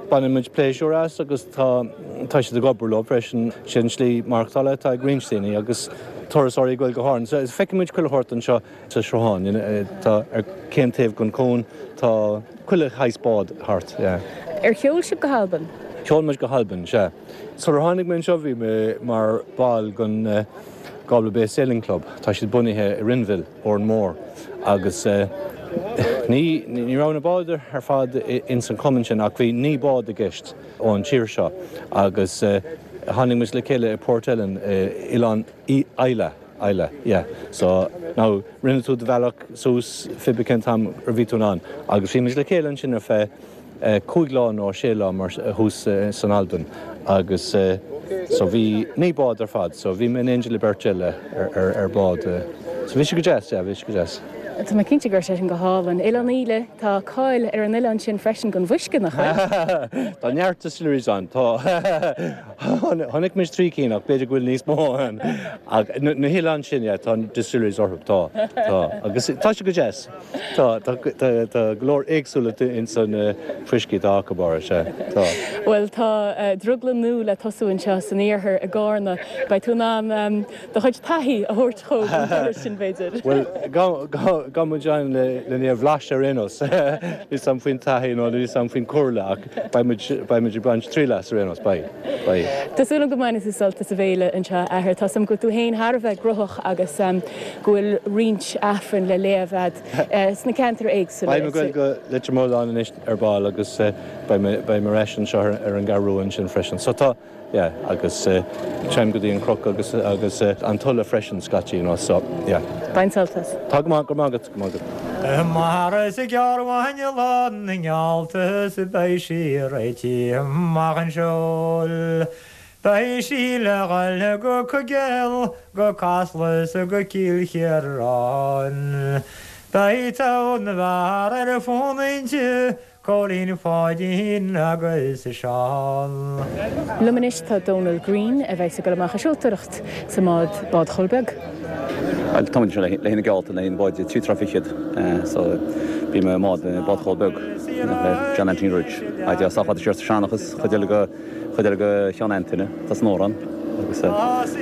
Baineann muid pléisiúr as agus tá tá siad ag obair leo freisin. Sin slí maireachtála atá ag roinnt daoine agus turasóirí ag goil go hÁrainn. So feiceann muid chuile shórt anseo sa Sruthán. Tá ar chaon taobh den chuan tá chuile shaghas bád thart, yeah. Ar sheol sibh go hAlbain? Sheol muid go hAlbain, sea. Sular tháinig mé anseo bhí mé mar bhall den Galway Bay Sailing Club. Tá siad bunaithe i Rinville, Órán Mór, agus ní ní raibh na báid ar fad ins an chumann sin ach bhí naoi bád i gceist ón tír seo agus tháinig muid le chéile i Port Ellen, Oileán Islay, Islay, yeah. So now rinne tú do bhealach suas pé cén t-am a bhí tú in ann agus bhí muid le chéile ansin ar feadh cúig lá nó sé lá mar thuas san Albain agus so bhí naoi bád ar fad so bhí mé in éindí le beirt eile ar ar bád so bhí sé go deas, yeah, bhí sé go deas. Tá mé cinnte go raibh sé sin go hálainn. Oileán Íle, tá cáil ar an oileán sin freisin don bhfuisce, nach bhfuil? Tá neart distilleries ann, tá. Chonaic muid trí cinn ach b'fhéidir go bhfuil níos mó ann. Ach na hoileáin sin, yeah, tá distilleries orthu, tá, tá. Agus tá sé go deas. Tá, tá, tá go leor éagsúlacht ins an fuiscí atá acu, ára, sea, tá. Bhuel, tá drioglann nua le tosú anseo san iarthar i gCárna. Beidh tú in ann do chuid taithí a thabhairt chucu an turas sin, b'fhéidir. Bhuel, Gan muid ann le lena bhlaiseadh ar aon nós. Níl 's a'm faoin taithí nó níl 's a'm faoin comhairle ach beidh muid beidh muid ag baint triail as ar aon nós, beidh, beidh. Tá súil agam go mbainfidh tú sult as an bhféile anseo, a athair. Tá 's a'm go bhfuil tú féin thar a bheith gróthach agus go bhfuil roinnt aifreann le léamh a'd sna ceantair éagsúla. Beidh mé ag goil go Leitir Mealláin anois ar ball agus beidh mé beidh mé ar ais anseo ar an gCeathrú Rua ansin freisin. So tá. Yeah, agus téim go dtí an Cnoc agus agus an Tulaigh freisin scaití, you know, so, yeah. Bain sult as. Tá go maith, go raibh maith agat, go raibh maith agat. Mar is gearr uainn lá na ngeallta 's beidh sí réitithe amach an seol. Beidh sí le dhul go Coigéal, go Casla 's go Cill Chiaráin. Beidh togha na bhfear ar fónamh inti, Cóilín Pháidín agus Seán. Liom anois tá Dónal Green a bheas ag dul amach ag seoltóireacht sa mbád Bád Chóil Beag. Bhuel tá muid anseo le haghaidh na geallta, le haghaidh an báid trí troigh fichead so bím i mbád Bád Chóil Beag le John Anthony Rudge. Á deá sách fada siar sa seanchas, chuid eile go chuid eile go Cheann Antaine, tá san amhrán agus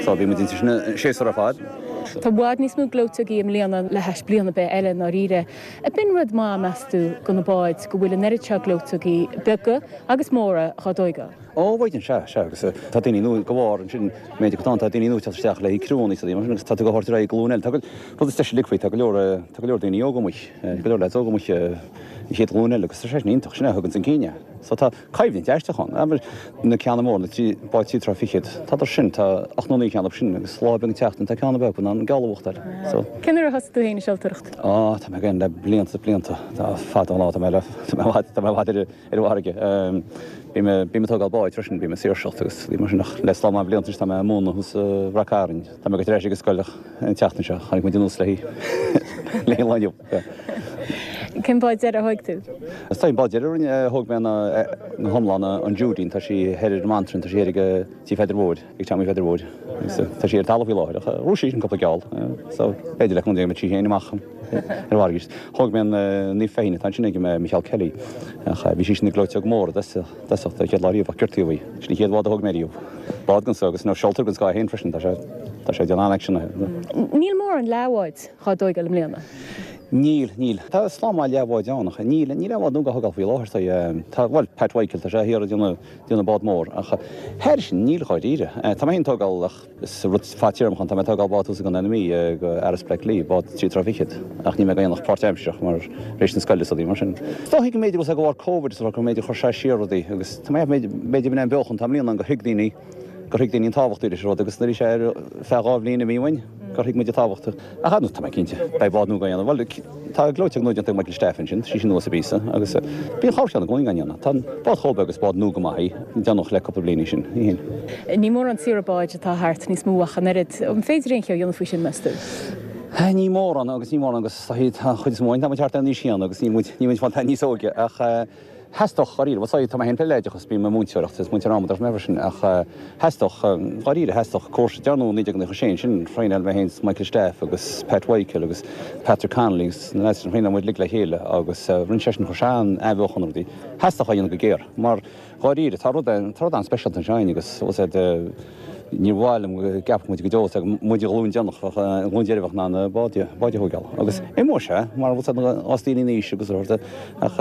so bhí muid inti sin an séasúr ar fad. Tá i bhfad níos mó gleoiteogaí i mbliana le hais bliain ar bith eile i ndáiríre. Ab in rud maith, meas tú, do na báid go bhfuil an oiread seo gleoiteogaí beaga agus móra dhá dtóigeáil? Ó, mhaighdean, sea, sea, agus tá daoine nua go bharr ansin, méid acu tá daoine nua ag teacht isteach le haghaidh criúnna is mar sin agus tá tú ag thabhairt ar aghaidh glúin eile. Tá go, rud is deise uilig faoi, tá go leor, tá go leor daoine óga amuigh, go leor leaids óga amuigh, an chéad ghlúin eile agus tá sé sin iontach, sin é a thugann chun cinn é. So tá coimhlint aisteach ann. Abair, na ceanna móra, na trí, báid trí troigh fichead, tádar sin, tá ocht nó naoi ceann acu sin agus lá beag an tseachtain tá ceann beag in ann geall a bhuachtáil. So. Cén uair a thosaigh tú féin ag seoltóireacht? Á, tá mé ag déanamh le blianta is blianta. Tá fada an lá, tá mé le, tá mé i bhfad, tá mé i bhfad ar, ar an bhfarraige. Bím, bím ag tógáil báid freisin, bím ag saoirseacht agus mar sin ach le slám maith blianta anois tá mé ag múineadh thuas i Rath Cairn. Tá mé ag goil ar ais ag an scoil ach an tseachtain seo, tháinig muid anuas léi, léi an lá inniu. Cén bád deiridh a thóig tú? Is é an bád deiridh a rinne, a thóg mé ná go hiomlán ná an Judeen, tá sí thoir ar an mBantrainn, tá sí thoir ag tí Pheadair Mhóir, ag Tommy Pheadair Mhóir agus tá sí ar talamh faoi láthair ach ghnóthaigh sí sin cúpla geall so b'fhéidir le cúnamh Dé go mbeidh sí féin amach ar an bhfarraige arís. Thóg mé an Naomh Feichín atá ansin ag Micheál Kelly ach bhí sí sin ina gleoiteog mór i dtosach don chéad lá riamh ach gortaíodh í. Sin an chéad bhád a thóg mé riamh. Bád den scoth agus nó seoltóir den scoth é féin freisin, tá sé tá sé ag déanamh an-aicsean. Níl mórán leathbháid dhá dtóigeáil i mbliana. Níl, níl. Tá slám maith leathbháid ann ach níl, níl aon bhád nua á thógáil faoi láthair. Tá, tá, bhuel, Pat Mhichael, tá sé thiar ag déanamh, déanamh bád mór ach thairis sin níl dháiríre. Tá mé féin ag tógáil ach is rud fadtéarmach ann, tá mé ag tógáil bád thuas i gContae na Mí go Aras Black Lee, bád trí troigh fichead ach níl mé ag déanamh ach páirtaimsearach mar tar éis na scoile is rudaí mar sin. Is dóichí go mb'fhéidir de bharr Covid is go mb'fhéidir chuir sé siar rudaí agus tá mé, b'fhéidir b'in é an beochan atá i mbliana ann gur thuig daoine gur thuig daoine an tábhacht leis an rud agus nuair a bhí sé ar feadh dhá bhliain imithe uainn gur thuig muid a tábhacht. Ach ar ndóigh tá mé cinnte, beidh bád nua á dhéanamh. Bhuel, tá gleoiteog nua déanta ag Michael Staff ansin, tá sí sin nua sa bpíosa agus bíonn corrcheann i gcónaí á ndéanamh. Tá an bád chomh beag is bád nua go maith í, déanadh le cúpla bliain í sin, í féin. Ní mórán saoire báid atá thart níos mó ach an oiread. An féidir aon cheo a dhéanamh faoi sin, meas tú? Ní mórán agus ní mórán agus tá an chuid is mó againn, tá muid thart ar an aois chéanna agus níl muid, níl muid fáil níos óige ach Theastódh, dháiríre, bhuel sorry, tá mé féin fé oideachas, bím ag múinteoireacht, is múinteoir amadach mé freisin, ach theastódh, dháiríre, theastódh cúrsa, dearnadh naoi déag nócha sé ansin, thraenáil mé féin is Michael Staff agus Pat Mhichael agus Patrick Connolly agus na lads sin, thraenáil muid uilig le chéile agus rinne sé sin, chuir sé an-athbheochan ar rudaí. Theastódh é a dhéanamh go géar, mar dháiríre, tá rud, tá rud an-speisialta anseo againn agus, bhuel said, Níor mhaith liom go gceapfadh muid go deo go muid an ghlúin deireanach, an ghlúin deiridh a bheadh in ann bád a thógáil. Agus imeoidh sé, mar bhfuil fhios ag daoine in aois agus a shórt, ach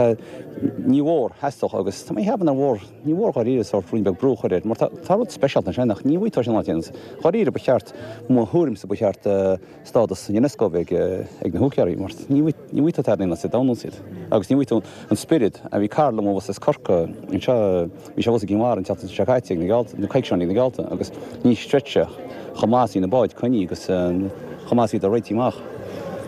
ní mhór, theastódh agus tá mé ag ceapadh nár mhór, ní mhór dháiríre sórt ruainne beag brú a chur air, mar tá rud speisialta ansin ach ní bhfaighidh tú sin áit aon. Dháiríre ba cheart, mo thuairimse ba cheart stádas Unesco a bheith ag na húicéirí mar ní bhfaighidh tú tada in aon áit sa domhan iad agus ní bhfaighidh tú an spiorad a bhí cara liom abhus as Corcaigh anseo bhí sé abhus i gCinn Mhara an tseachtain seo caite ag na geallta na coicís ag na geallta agus ní chreidfeá chomh maith is a bhí na báid coinnithe agus chomh maith is a bhíodar réitithe amach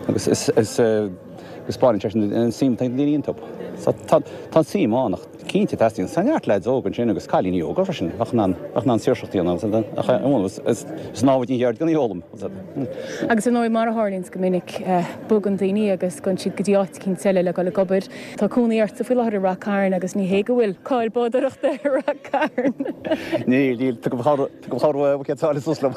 agus is is is spáineann sé sin an suim atá ag na daoine iontu. So tá tá an suim ann ach Cinnte, teastaíonn. Tá neart leaids óga ansin agus cailíní óga freisin a bheadh in ann, bheadh in ann saoirseacht a dhéanamh ach is námhaid an cheird gan í a fhoghlaim. Agus ar ndóigh, mar a tharlaíonns go minic, bogann daoine agus gabhann siad go dtí áit eicínt eile le dul ag obair. Tá cónaí ortsa faoi láthair i Rath Cairn agus ní hé go bhfuil cáil bádóireachta ar Rath Cairn. Níl, níl. Tugaim cabhair buicéad sáile suas liom.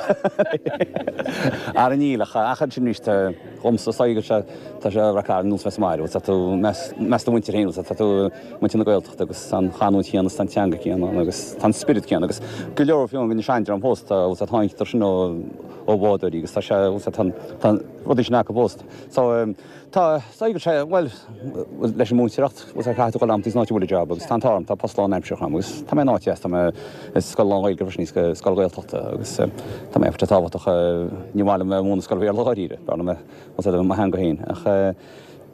Ara níl ach ach ansin arís dhomsa, is dóigh go bhfuil sé, tá sé Rath Cairn nós bheith sa mbaile, tá tú i measc do mhuintir féin, tá tú muintir na Gaeltachta agus tá an chanúint chéanna is tá an teanga chéanna ann agus tá an spiorad céanna agus go leor fiú den seandream fós tá tá tháinig sin ó ó bhádóirí agus tá sé tá tá rudaí sin acu fós. So tá saghas sé, bhuel, leis an múinteoireacht, bhuel caithfidh tú dul amach san áit a bhfuil job agus tá an t-ádh orm, tá post lánaimseartha agam agus tá mé in áit dheas, tá mé i scoil lán-Ghaeilge freisin, í scoil Ghaeltachta agus tá mé tá tábhachtach, ní maith liom múineadh scoil Bhéarla dháiríre, b'fhearr liom bhuel mo theanga féin ach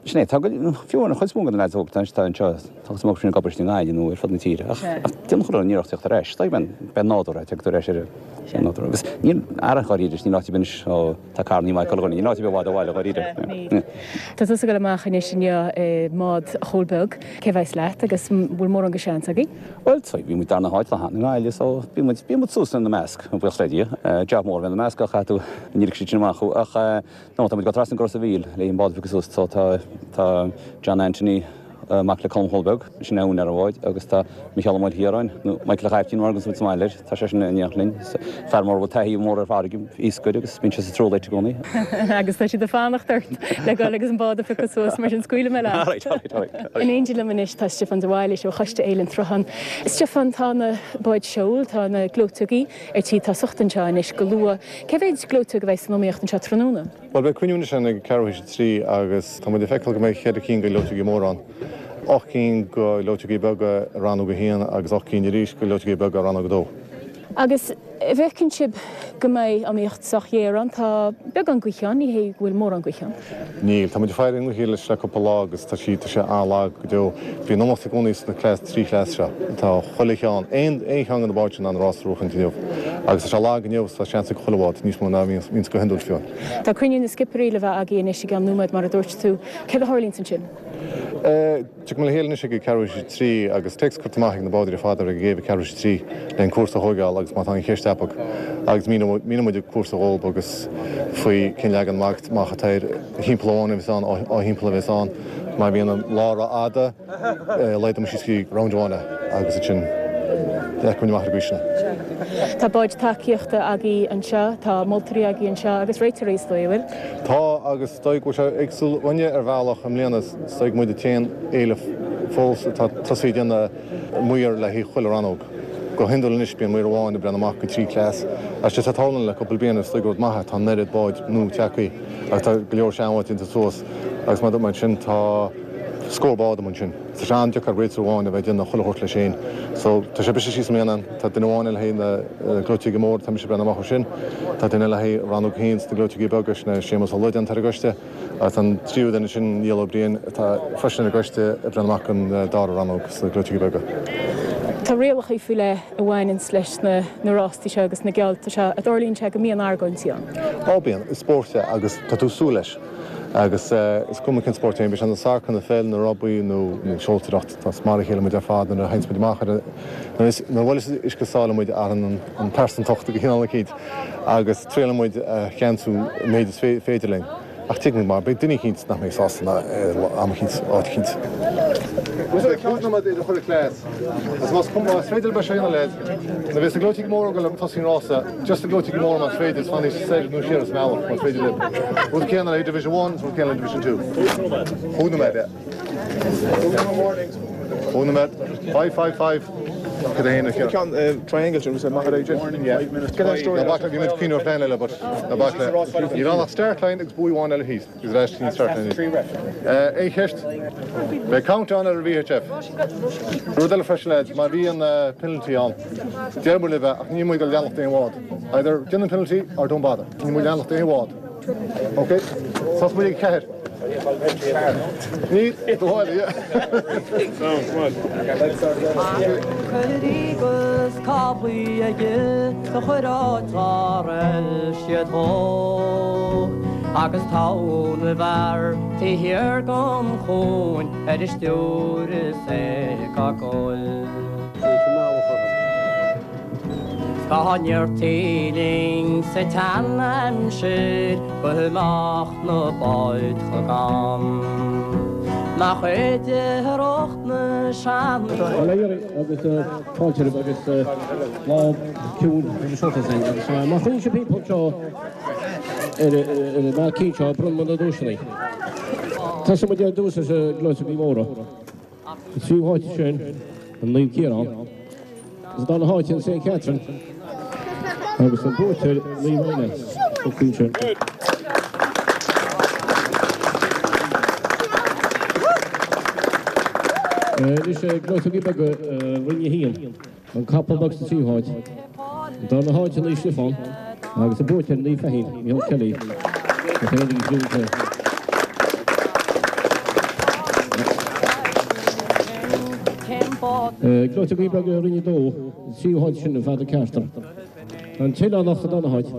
sin é, tá fiú an chuid is mó de na leaids óga atá anseo, tá cuid acu sin ag obair istigh i nGaillimh nó ar fud na tíre ach déanann chuile dhuine iarracht teacht ar ais, tá beidh nádúr é, teacht ar ais ar an nádúr agus níl ara dháiríre, níl áit ar bith anois ó tá carrannaí maith ag chuile dhuine, níl áit ar bith i bhfad ó bhaile dháiríre. Tá tusa ag dul amach anois inniu i mbád Chúil Beag, cé a bheas leat agus an bhfuil mórán de sheans agaibh? Bhuel, bhí muid darna háit lá cheana i nGaillimh so bíonn muid, bíonn muid suas ina measc, buíochas le Dia. Job mór a bheith ina measc ach caithfidh tú, ní ligfidh siad sin amach thú ach No, tá muid ag dul trasna go Ros a' Mhíl le an bád a phiocadh suas. So tá tá John Anthony, mac le Colm Chóil Beag, sin é úinéir an bháid, agus tá Micheál Ó Maoilchiaráin, nó Michael a' Chaiptín mar a thuganns muid sa mbaile air, tá seisean in éineacht linn. Fear mór a bhfuil taithí mhór ar farraige, iascaire, agus bíonn sé sa Truelight i gcónaí. Agus tá siad ag fanacht ort le dhul agus an bád a phiocadh suas, mar sin scaoilfidh mé leat. Alright, alright, alright. In éindí liom anois tá Stiofán de Bhailís ó Choiste Fhéile an tSrutháin. Stiofán, tá na báid seoil, tá na gleoiteogaí ar tí tosacht anseo anois go luath. Cé mhéid gleoiteog a bheidh san iomaíocht anseo tráthnóna? Bhuel, beidh cruinniú anois ann ag ceathrú théis a trí agus tá muid ag feiceáil go mbeidh ceithre cinn de ghleoiteogaí móra ann, ocht gcinn de ghleoiteogaí beaga i rannóg a haon agus ocht gcinn arís de ghleoiteogaí beaga i rannóg a dó. Agus an bhfeiceann sibh go mbeidh iomaíocht sách ghéar ann? Tá beagán gaoithe ann, ní hé go bhfuil mórán gaoithe ann. Níl. Tá muid ag faire an ghaoth leis le cúpla lá agus tá sí, tá sé an-lag go deo. Bhí an iomaíocht i gcónaí sna cleas, trí chleas seo. Tá chuile cheann, aon, aon cheann de na báid sin in ann rás a bhuachaint inniu. Agus tá sé lag inniu so tá seans ag chuile bhád, níos mó ná a bhíonns go hiondúil fiú. Tá cruinniú na scipirí le bheith agaibh anois i gceann nóiméad mar a dúirt tú. Céard a tharlaíonns ansin? Tiocfaidh muid le chéile anois ag ceathrú théis a trí agus téacs curtha amach ag na bádóirí ar fad ar an gcéibh ag ceathrú théis a trí le an cúrsa a thóigeáil agus má tá aon cheist acu agus míneoidh muid an cúrsa dhóib agus faoi cén leagan amach atá air, thimpeall amháin a bheas ann, dhá thimpeall a bheas ann, má bhíonn an lá rófhada. Laghdóidh muid síos go dtí round amháin é agus ansin feicfidh muid amach ar an gcaoi sin. Tá báid tacaíochta agaibh anseo, tá moltóirí agaibh anseo agus réiteoirí is dóigh, an bhfuil? Tá agus is dóigh go bhfuil sé éagsúil dhúinne ar bhealach i mbliana, is dóigh muid an t-aon fhéile fós atá tosaithe ag déanamh maor le haghaidh chuile rannóg. Go hiondúil anois bíonn maor amháin ag breathnú amach go trí chleas ach sé atá tarlaithe le cúpla bliain is dóigh gur rud maith é, tá an oiread báid nua tagtha agus tá go leor seanbháid déanta suas agus mar mar sin tá Scór bád amuigh ansin. Tá sé an-deacair réiteoir amháin a bheith ag déanamh chuile shórt leis féin. So, tá sé briste síos i mbliana. Tá duine amháin le haghaidh na gleoiteogaí móra, tá mise ag breathnú amach air sin. Tá duine le haghaidh rannóg a haon sna gleoiteogaí beaga, sin é Séamus Ó Loideáin atá ar an gcoiste. Agus tá an tríú duine sin, Niall Ó Briain, atá freisin ar an gcoiste, ag breathnú amach don dara rannóg sna gleoiteogaí beaga. Tá rialacha faoi leith a bhaineanns leis na rástaí seo agus na geallta seo. An dtarlaíonn sé go mbíonn argóintí ann? Á bíonn. Is spórt é agus tá tú ag súil leis. Agus is cuma cén spórt é, bíodh sé ina sacar, nó pheil, nó rugbaí, nó seoltóireacht, tá is mar a chéile muid ar fad nuair a théanns muid amach ar an, nuair a bhuaileas uisce sáile muid athraíonn an pearsantacht go cineál eicínt agus triaileann muid a cheansú an méid is féidir linn. Ach tuigim mar beidh duine eicínt nach mbeidh sásta ná am eicínt, áit eicínt. Beidh cúig nóiméad idir chuile chleas agus más cuma, más féidir beidh sé ina leid. Nuair a bheas na gleoiteogaí móra ag dul ag tosaí an rása, just na gleoiteogaí móra más féidir, is fanaigí soir nó siar as an mbealach más féidir libh. Rud céanna le Division One, rud céanna le Division Two. Cúig nóiméad, yeah. Cúig nóiméad. Five, five, five. Cad é fhéin a Ceann triangle sin, was maith ar aghaidh. Yeah. Ná bac le, bhí muid cuimhneamh ar phlean eile, but ná bac le. Níl ann ach start line agus buoy amháin eile thíos. Agus ar ais chuig an start line arís. Aon cheist? Beidh countdown ar an VHF. Rud eile freisin lads, má bhíonn penalty ann, deir muid libh é ach níl muid ag dul leanacht aon bhád. Either déan an penalty or don't bother. Níl muid leanacht aon bhád. Ok? Tosóidh muid ag ceathair. Níl, do bhád, yeah. Agus cáblaí aige do chuir áit dá raibh siad dhó. Agus togha na bhfear taobh thiar gon chuan ar a stiúir is é ag gol. 'S dá ndéartaí linn sa tsean-aimsir go mbeadh na báid chomh gann. Nach oidhreacht na sean. Agus fáilte romhaibh agus lá ciúin agus shóltas againn agus má choinníonn sibh timpeall anseo ar an mbailcín seo bronnfaidh muid na duaiseanna. Tosóidh muid ar dtús leis na gleoiteogaí móra. Sa tríú háit ansin, an Naomh Ciarán. Sa dara háit an Saint Catherine agus an buaiteoir Naomh Éanna. Anois gleoiteogaí beaga Roinn a haon, an Capall Beag sa tríú háit, an darna háit Naomh Stiofán agus an buaiteoir Naomh Feichín, Micheál Kelly, na Féiníní Clúmhta. Gleoiteogaí beaga Roinn a dó, an tríú háit sin an Father Carter. An tOileánach sa darna háit,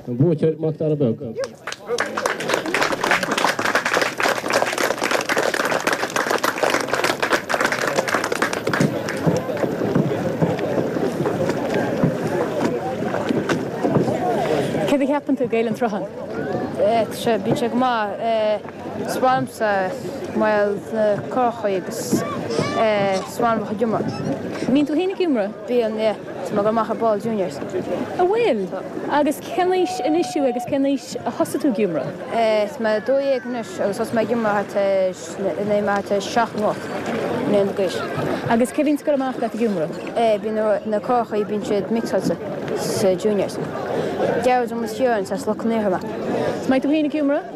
an buaiteoir Mac Dara Beag. Céard a cheapann tú d'Fhéile an tSrutháin? Tá sé, bíonn sé go maith. Is maith liomsa mar na curachaí agus is maith liom a bheith ag iomramh. Mbíonn tú féin ag iomramh? Bíonn, yeah. Tá mé ag dul amach ar ball juniors. An bhfuil? Agus cén aois anois thú agus cén aois a thosaigh tú ag iomramh? Tá mé dó dhéag anois agus thosaigh mé ag iomramh thart ar nuair mé thart ar seacht nó ocht mbliana d'aois. Agus cé bhíonns ag dul amach leat ag iomramh? Bíonn na curachaí, bíonn siad mixáilte sa juniors. Gearóid Ó Ciaráin, as Loch an Iarthair mé. Is mbeidh tú féin ag iomramh?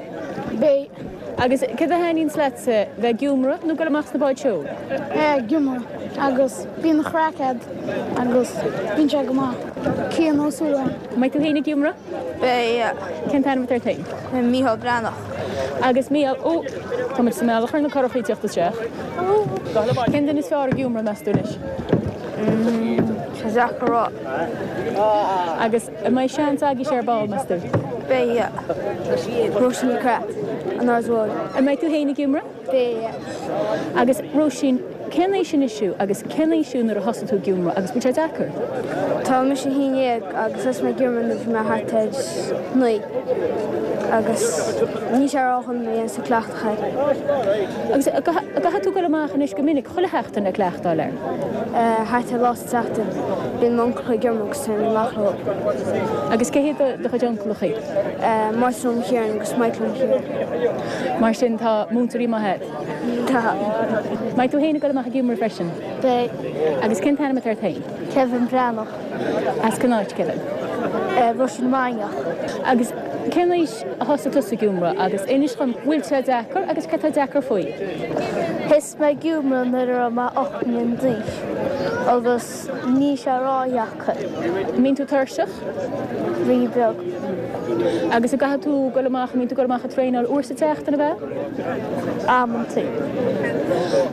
Beidh. Agus céard a thaitníonns leatsa, bheith ag iomramh nó dul amach sna báid seoil? Ag iomramh agus bíonn craic a'd agus bíonn sé go maith. Cian Ó Súilleabháin. Mbeidh tú féin ag iomramh? Beidh, yeah. Cén t-ainm atá ort féin? Mícheál Breathnach. Agus Mícheál, ó, tá muid sa mbealach ar na curachaí ag teacht isteach. Cén duine is fearr ag iomramh, meas tú anois? Tá sé deacair a rá. Agus an mbeidh seans agaibhse ar ball, meas tú? Beidh, yeah. Róisín Ní Chreá, an Aird Mhóir. An mbeidh tú féin ag iomramh? Beidh, yeah. Agus Róisín, cén aois anois thú agus cén aois thú nuair a thosaigh tú ag iomramh agus bhfuil sé deacair? Tá mise a haon déag agus thosaigh mé ag iomramh nuair a bhí mé thart ar naoi agus níl sé ródhona má dhéanann tú cleachtadh air. Agus an gcaithfidh tú dul amach anois go minic chuile sheachtain le cleachtáil air? Thart ar lá sa tseachtain. Bíonn m'uncail ag iomramh agus téim amach leo. Agus cé hiad do chuid uncaileachaí? Máirtín Ó Ciaráin agus Michael Ó Ciaráin. Mar sin tá múinteoirí maithe a'd? Tá. Mbeidh tú féin ag dul amach ag iomramh freisin? Beidh. Agus cén t-ainm atá ort féin? Kevin Breathnach. As cén áit, Kevin? Rois na Mainiach. Agus cén aois a thosaigh tusa ag iomramh agus inis dhom bhfuil sé deacair agus céard atá deacair faoi? Thosaigh mé ag iomramh nuair a raibh mé ocht mbliana d'aois agus níl sé ródheacair. An mbíonn tú tuirseach? Rí beag. Agus an gcaithfidh tú dul amach, an mbíonn tú ag dul amach ag traenáil uair sa tseachtain, ab ea? Amantaí.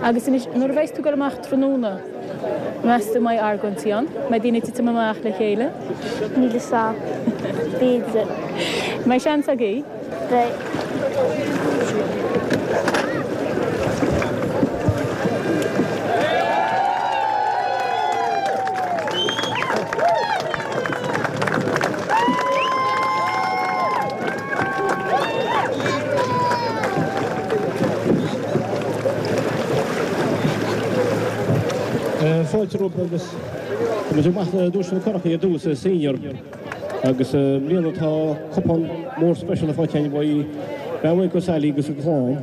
Agus anois, nuair a bheas tú ag dul amach tráthnóna, meas tú an mbeidh argóintí ann? Mbeidh daoine ag titim amach le chéile? Níl fhios a'm. B'fhéidir. Mbeidh seans agaibh? Beidh. Fáilte romhaibh agus tá muid ag amach le duaiseanna curachaí ar dtús, senior agus i mbliana tá cupán mór speisialta faighte againn uaidh Bean Mhaidhc Ó Sailí agus a clann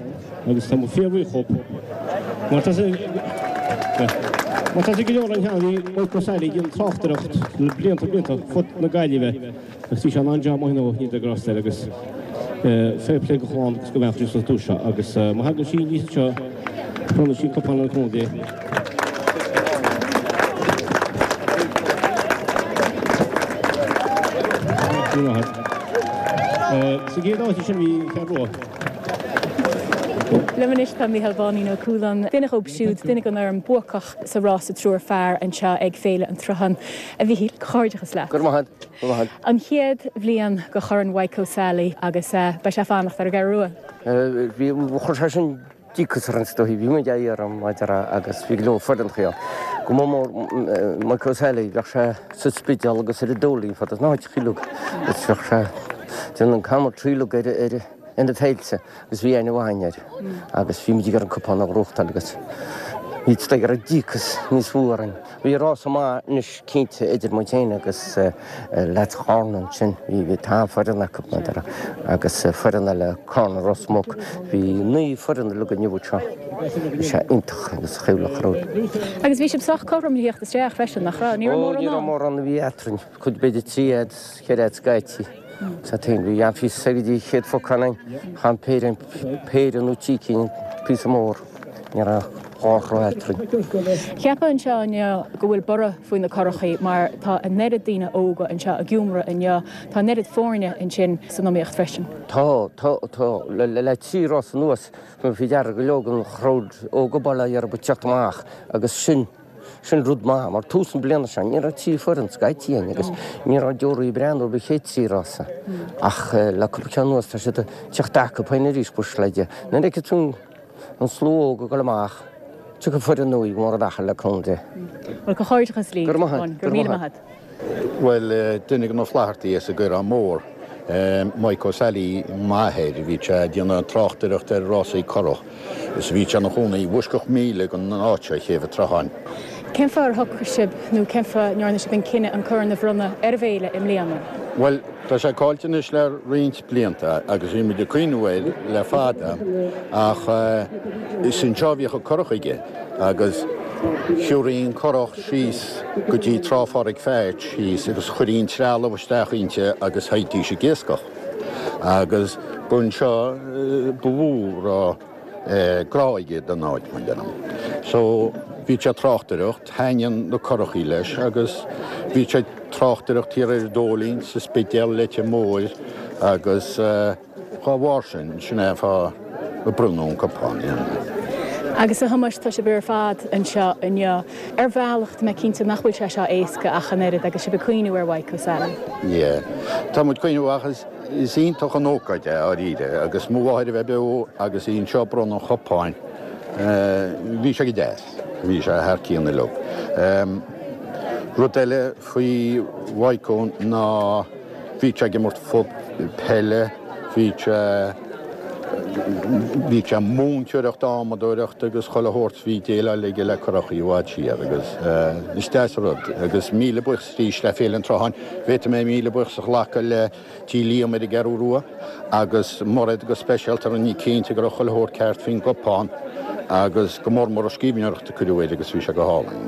agus tá muid fíorbhuíoch dhób mar tá mar tá go leor ann cheana bhí Mike Ó Sailí ag déanamh tráchtaireacht le blianta blianta fud na Gaillimhe agus bhí sé in ann job maith nó ní de grásta air agus fair play do chlann agus go bhean Chríost sa duais seo agus má thagann sí aníos anseo bronnann sí cupán an chontae. Sa gcéad áit ansin bhí Fear Rua. Liom anois tá Mícheál Báinín Ó Cualáin, duine dhóibh siúd, duine den fhoireann buacach sa rása triúr fear anseo ag Féile an tSrutháin. A Mhíchíl, comhghairdeachas leat. Go raibh maith agat. Go raibh maith agat. An chéad bhliain de Chorn Mhaidhc O'Sally agus beidh sé ag fanacht ar an gCeathrú Rua. Bhí, chuir sé sin díocas orainn is dóichí. Bhí muid á iarraidh maidir agus bhí go leor foireann ann. Go mór mór Mike O'Sally, bheadh sé sa Spidéal agus ar an Dóilín fad is na háiteacha uilig agus bheadh sé déanamh an commentary uilig ar ar ar na féilte agus bhí aithne mhaith againn air agus bhí muid ag iarraidh an cupán a ghnóthachtáil agus bhí is dóigh go raibh díocas níos mó orainn. Bhí rása maith anois cinnte idir muid féin agus leaids Chárna ansin, bhí tá foireann acu maidir agus foireann eile Cárna Ros Muc, bhí naoi foireann uilig inniu anseo, bhí sé iontach agus chuimhneach ar Agus bhí sibh sách cothrom le theacht isteach freisin, nach raibh? Ní raibh Ó, mórán ní raibh ann. mórán a bhí eadrainn, cuid b'fhéidir trí fhad, ceithre fhad scaití. Sa tsaol, bhí an-phíosa go dtí an chéad phocán ann, chan péire, péire nó trí cinn, píosa mór, ní raibh. dhá throigh eadrainn. Cheapfá anseo inniu go bhfuil borradh faoi na curachaí mar tá an oiread daoine óga anseo i gCiúmra inniu, tá an oiread foirne ansin san iomaíocht freisin. Tá, tá, tá. Le, le, le trí rás anuas, bhí faoi deara go leor den chrowd óg baile ar bith teacht amach agus sin, sin rud maith mar tús na bliana seo ní raibh trí foireann scaití againn agus ní raibh deoraí ag breathnú ar an chéad trí rása ach le cúpla ceann anuas tá siad ag teacht acu féin arís buíochas le Dia. Nuair a fheiceann tú an slua óg ag dul amach, tiocfaidh foireann nua mór i dtaca le cúnamh Dé. Bhuel, comhghairdeachas libh. Go raibh maith agat. Go raibh míle maith agat. Bhuel, duine de na Flaitheartaigh as an gCaorán Mór, Mike O'Sally, m'athair, bhí sé ag déanamh tráchtaireacht ar rásaí curach is bhí sé ina chónaí i bhfoisceacht míle den áit seo, Céibh an tSrutháin. Cén fáth ar shocraigh sibh nó cén fáth a ndearna sibh an cinneadh an corn a bhronnadh ar an bhféile i mbliana? Bhuel, tá sé caillte anois le roinnt blianta agus bhí muid ag cuimhniú air le fada ach is anseo a bhíodh an curach aige agus Shiúraí an curach síos go dtí Trá Phádraig Pheait thíos agus chuirí an trealamh isteach inti agus théidís ag iascach. Agus ba anseo ba mhó a raibh grá aige don áit, mar deirim. So bhí sé ag tráchtaireacht, thaitníonn na curachaí leis agus bhí sé ag tráchtaireacht thiar ar an Dóilín, sa Spidéal, Leitir Móir agus. Dá bharr sin, sin é an fáth a bronnadh an cupán. Agus a Thomáis, tá sibh ar fad anseo inniu. Ar bhealach, tá mé cinnte nach bhfuil sé seo éasca ach an oiread agus sibh ag cuimhniú ar Mhaidhc O'Sally. Yeah. Tá muid ag cuimhniú ach is, is iontach an ócáid é, dháiríre, agus mo mháthair a bheith beo agus í anseo ag bronnadh an chupáin, bhí sé go deas. Bhí sé thar cionn uilig. Rud eile faoi Mhaidhcó ná bhí sé ag imirt peile, bhí sé, bhí sé ag múinteoireacht adhmadóireacht agus chuile shórt, bhí déileáil aige le curachaí i bhfad siar agus is deas an rud agus míle buíochas arís le Féile an tSrutháin, bhféadfaidh mé míle buíochas a ghlacadh le Tí Liam ar an gCeathrú Rua agus Mairéad go speisialta a rinne cinnte go raibh chuile shórt ceart faoin gcupán agus go mór mór an scríbhneoireacht a cuireadh air agus bhí sé go hálainn.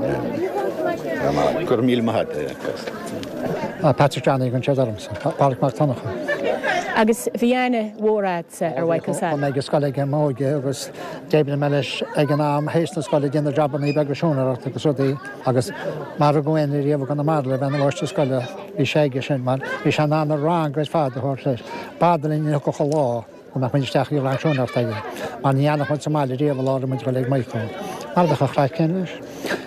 Go raibh míle maith agat. Patrick Johnny an séad ormsa, Pádraic Mac Donncha. Agus bhí aithne mhór agatsa ar Mhaidhc O'Sally. Bhí mé ag scoil aige i m'óige agus d'oibrigh mé leis ag an am théis na scoile ag déanamh jabannaí beaga siúinéireachta agus rudaí agus mara raibh éinne riamh i gConamara le bheith ina mháistir scoile bhí sé aige sin mar bhí sé in ann an rang ar fad a thabhairt leis. B'fhada linn a thiocfadh an lá go mbeadh muid isteach i rang siúinéireachta aige mar ní fhanfadh muid sa mbaile riamh an lá a raibh muid ag dul ag Michael. Mar bheadh an chraic céanna leis.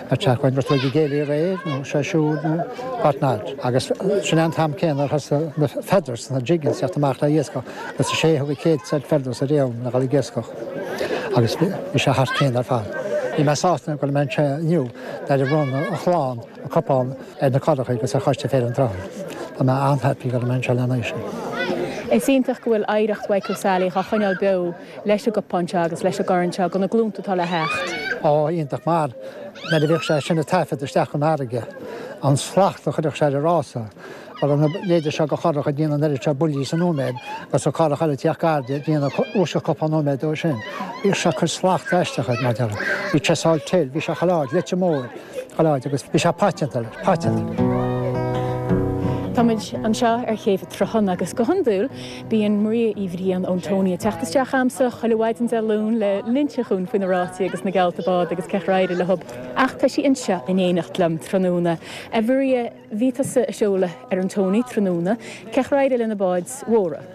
Ar teach chugainn bhí ag an gcéilí aréir nó sé siúd nó what not. Agus sin é an t-am céanna ar thosaigh na feathers, na jiggings, teacht amach le iascach agus is é a thug an chéad set feathers ariamh le dhul ag iascach. Agus bhí sé thar cionn ar fad. Bhí mé sásta go bhfuil mé anseo inniu nuair a bhronn a chlann an cupán ar na curachaí agus ar choiste Féile an tSrutháin. Tá mé an-happy go raibh mé anseo lena aghaidh sin. Is iontach go bhfuil oidhreacht Mhaidhc O'Sally á choinneáil beo leis an gcupán seo agus leis an gcorn seo do na glúnta atá le theacht. Ó, iontach mar nuair a bhíodh sé sin ag taifead isteach chun farraige, an slacht a chuirfeadh sé ar an rása, go raibh na leithéide seo de churach ag déanamh an oiread seo buillí sa nóiméad agus an curach eile ag tíocht gar di ag déanamh uaisle cúpla nóiméad dó sin. Bhíodh sé ag cur slacht aisteach air, mar a déarfá. Bhí sé sáil til, bhí sé chuile áit, Leitir Móir, chuile áit agus bhí sé paiteanta leis, paiteanta. Táimid anseo ar Chéibh an tSrutháin agus go hiondúil bíonn Maria Uí Bhriain ón Tony ag teacht isteach chugamsa chuile mhaidin Dé Luain le l'inse dhúinn faoi na rásaí agus na geallta bád agus cén chaoi ar éirigh leo. Ach tá sí anseo in éineacht liom tráthnóna. A Mharia, bhí tusa ag seoladh ar an Tony tráthnóna, cén chaoi ar éirigh le na báid mhóra?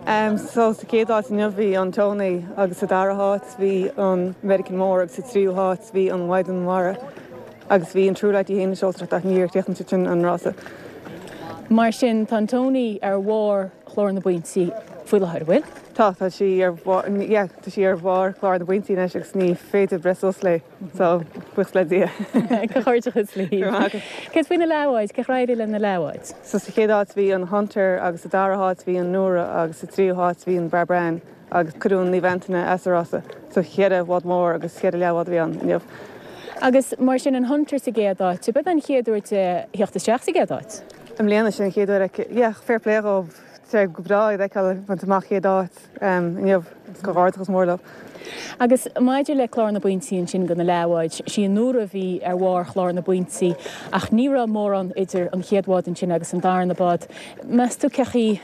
Um, so sa chéad áit inniu bhí an Tony agus sa dara háit bhí an American Mór agus sa tríú háit bhí an Mhaighdean Mhara agus bhí an True Light í féin ag seoltóireacht ach níor chríochnaigh siad sin an rása. Mar sin tá an Tony ar bharr chlár na bpointí faoi láthair, bhfuil? Tá, tá sí ar bharr, yeah, tá sí ar bharr chlár na bpointí anois agus ní féidir breith suas léi, so buíochas le Dia. Comhghairdeachas libh. Céard faoi na leathbháid, cén chaoi ar éirigh le na leathbháid? So sa chéad áit bhí an Hunter agus sa dara háit bhí an Nora agus sa tríú háit bhí an Barbran agus cuireadh an Naomh Antaine as an rása. So cheithre bhád mór agus cheithre leathbhád a bhí ann inniu. Agus mar sin an Hunter sa gcéad áit, ab é an chéad uair di theacht isteach sa gcéad áit? I mbliana sin an chéad uair aici. Yeah, fair play dhóibh. Tá sé go breá iad a fheiceáil ag baint amach chéad áit inniu. Comhghairdeachas mór leo. Agus maidir le clár na bpointí ansin do na leathbháid, sí an Nóra a bhí ar bharr chlár na bpointí ach ní raibh mórán idir an chéad bhád ansin agus an darna bád. Meas tú cén chaoi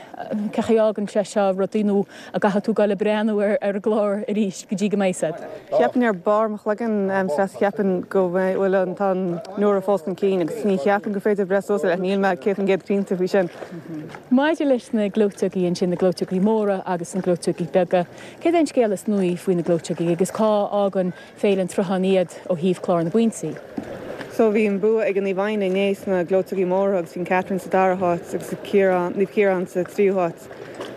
cén chaoi a fhágann sé seo rudaí nó an gcaithfidh tú dul ag breathnú ar ar an gclár arís go dtí go mbeidh siad? Cheapfainn ar barr mo chloigeann Treasa cheapfainn go bhfuil an tá an Nóra fós chun cinn agus ní cheapaim gur féidir breith suas air ach níl mé céad faoin gcéad cinnte faoi sin. Maidir leis na gleoiteogaí ansin, na gleoiteogaí móra agus na gleoiteogaí beaga, céard é an scéal is nuaí faoi na gleoiteogaí agus cá fhágann Féile an tSrutháin iad ó thaobh clár na bpointí? So bhí an bua ag an Naomh Adhna inné sna gleoiteogaí móra agus bhí an Catherine sa dara háit agus Ciarán, Naomh Ciarán sa tríú háit.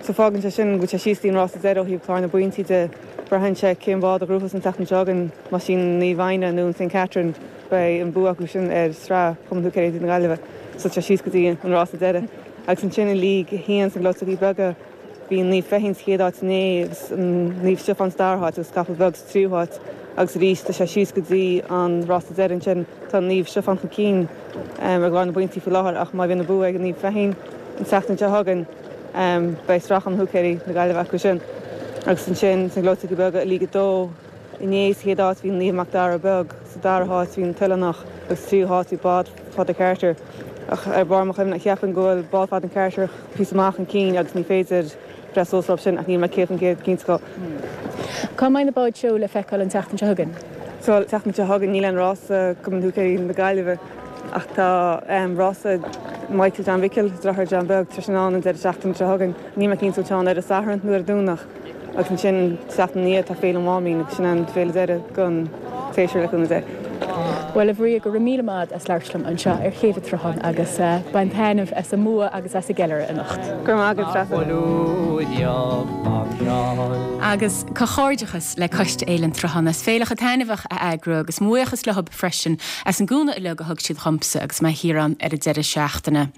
So fágann sé sin go bhfuil sé síos dtí an rása deiridh ó thaobh clár na bpointí de. Braitheann sé cén bád a ghnóthós an tseachtain seo chugainn, más í Naomh Adhna nó an Saint Catherine, beidh an bua acu sin ar Sraith Chumann Húicéirí na Gaillimhe. So tá sé síos go dtí an rása deiridh. Agus ansin i League a haon sna gleoiteogaí beaga, bhí Naomh Feichín sa chéad áit inné agus Naomh Stiofán sa dara háit agus Capall Beag sa tríú háit. Agus arís tá sé síos go dtí an rása deiridh ansin. Tá Naomh Stiofán chun cinn ar chlár na bpointí faoi láthair ach má bhíonn an bua ag Naomh Feichín an tseachtain seo chugainn, beidh Sraith Chumann Húicéirí na Gaillimhe acu sin. Agus ansin sna gleoiteogaí beaga i League a dó, inné sa chéad áit bhí Naomh Mac Dara Beag, sa dara háit bhí an tOileánach agus sa tríú háit bhí Bád Phadraig Carter. Ach ar barr mo chuimhne, cheapfainn go bhfuil Bád Phadraig Carter píosa maith chun cinn agus ní féidir breith suas orthu sin ach níl mé céad faoin gcéad cinnte dhó. Cá mbeidh na báid seo le feiceáil an tseachtain seo chugainn? So an tseachtain seo chugainn níl aon rása Cumann Húicéirí na Gaillimhe ach tá rása Michael John Mhicil, deartháir John Beag, tá sin ann an deireadh seachtaine seo chugainn. Níl mé cinnte an bhfuil sé ann ar an Satharn nó ar an Domhnach agus ansin an tseachtain ina dhiaidh tá Féile an Mháimín agus sin an féile deiridh don tséasúr le cúnamh Dé. Bhuel a Mharia, go raibh míle maith as labhairt liom anseo ar Chéibh an tSrutháin agus bain taitneamh as an mbua agus as an gceiliúradh anocht. Go raibh maith agat, Treasa. Agus comhghairdeachas le Coiste Fhéile an tSrutháin as féile chomh taitneamhach a eagrú agus mo bhuíochas leo freisin as an gcúnamh uilig a thug siad dhomsa agus mé thiar ann ar an deireadh seachtaine.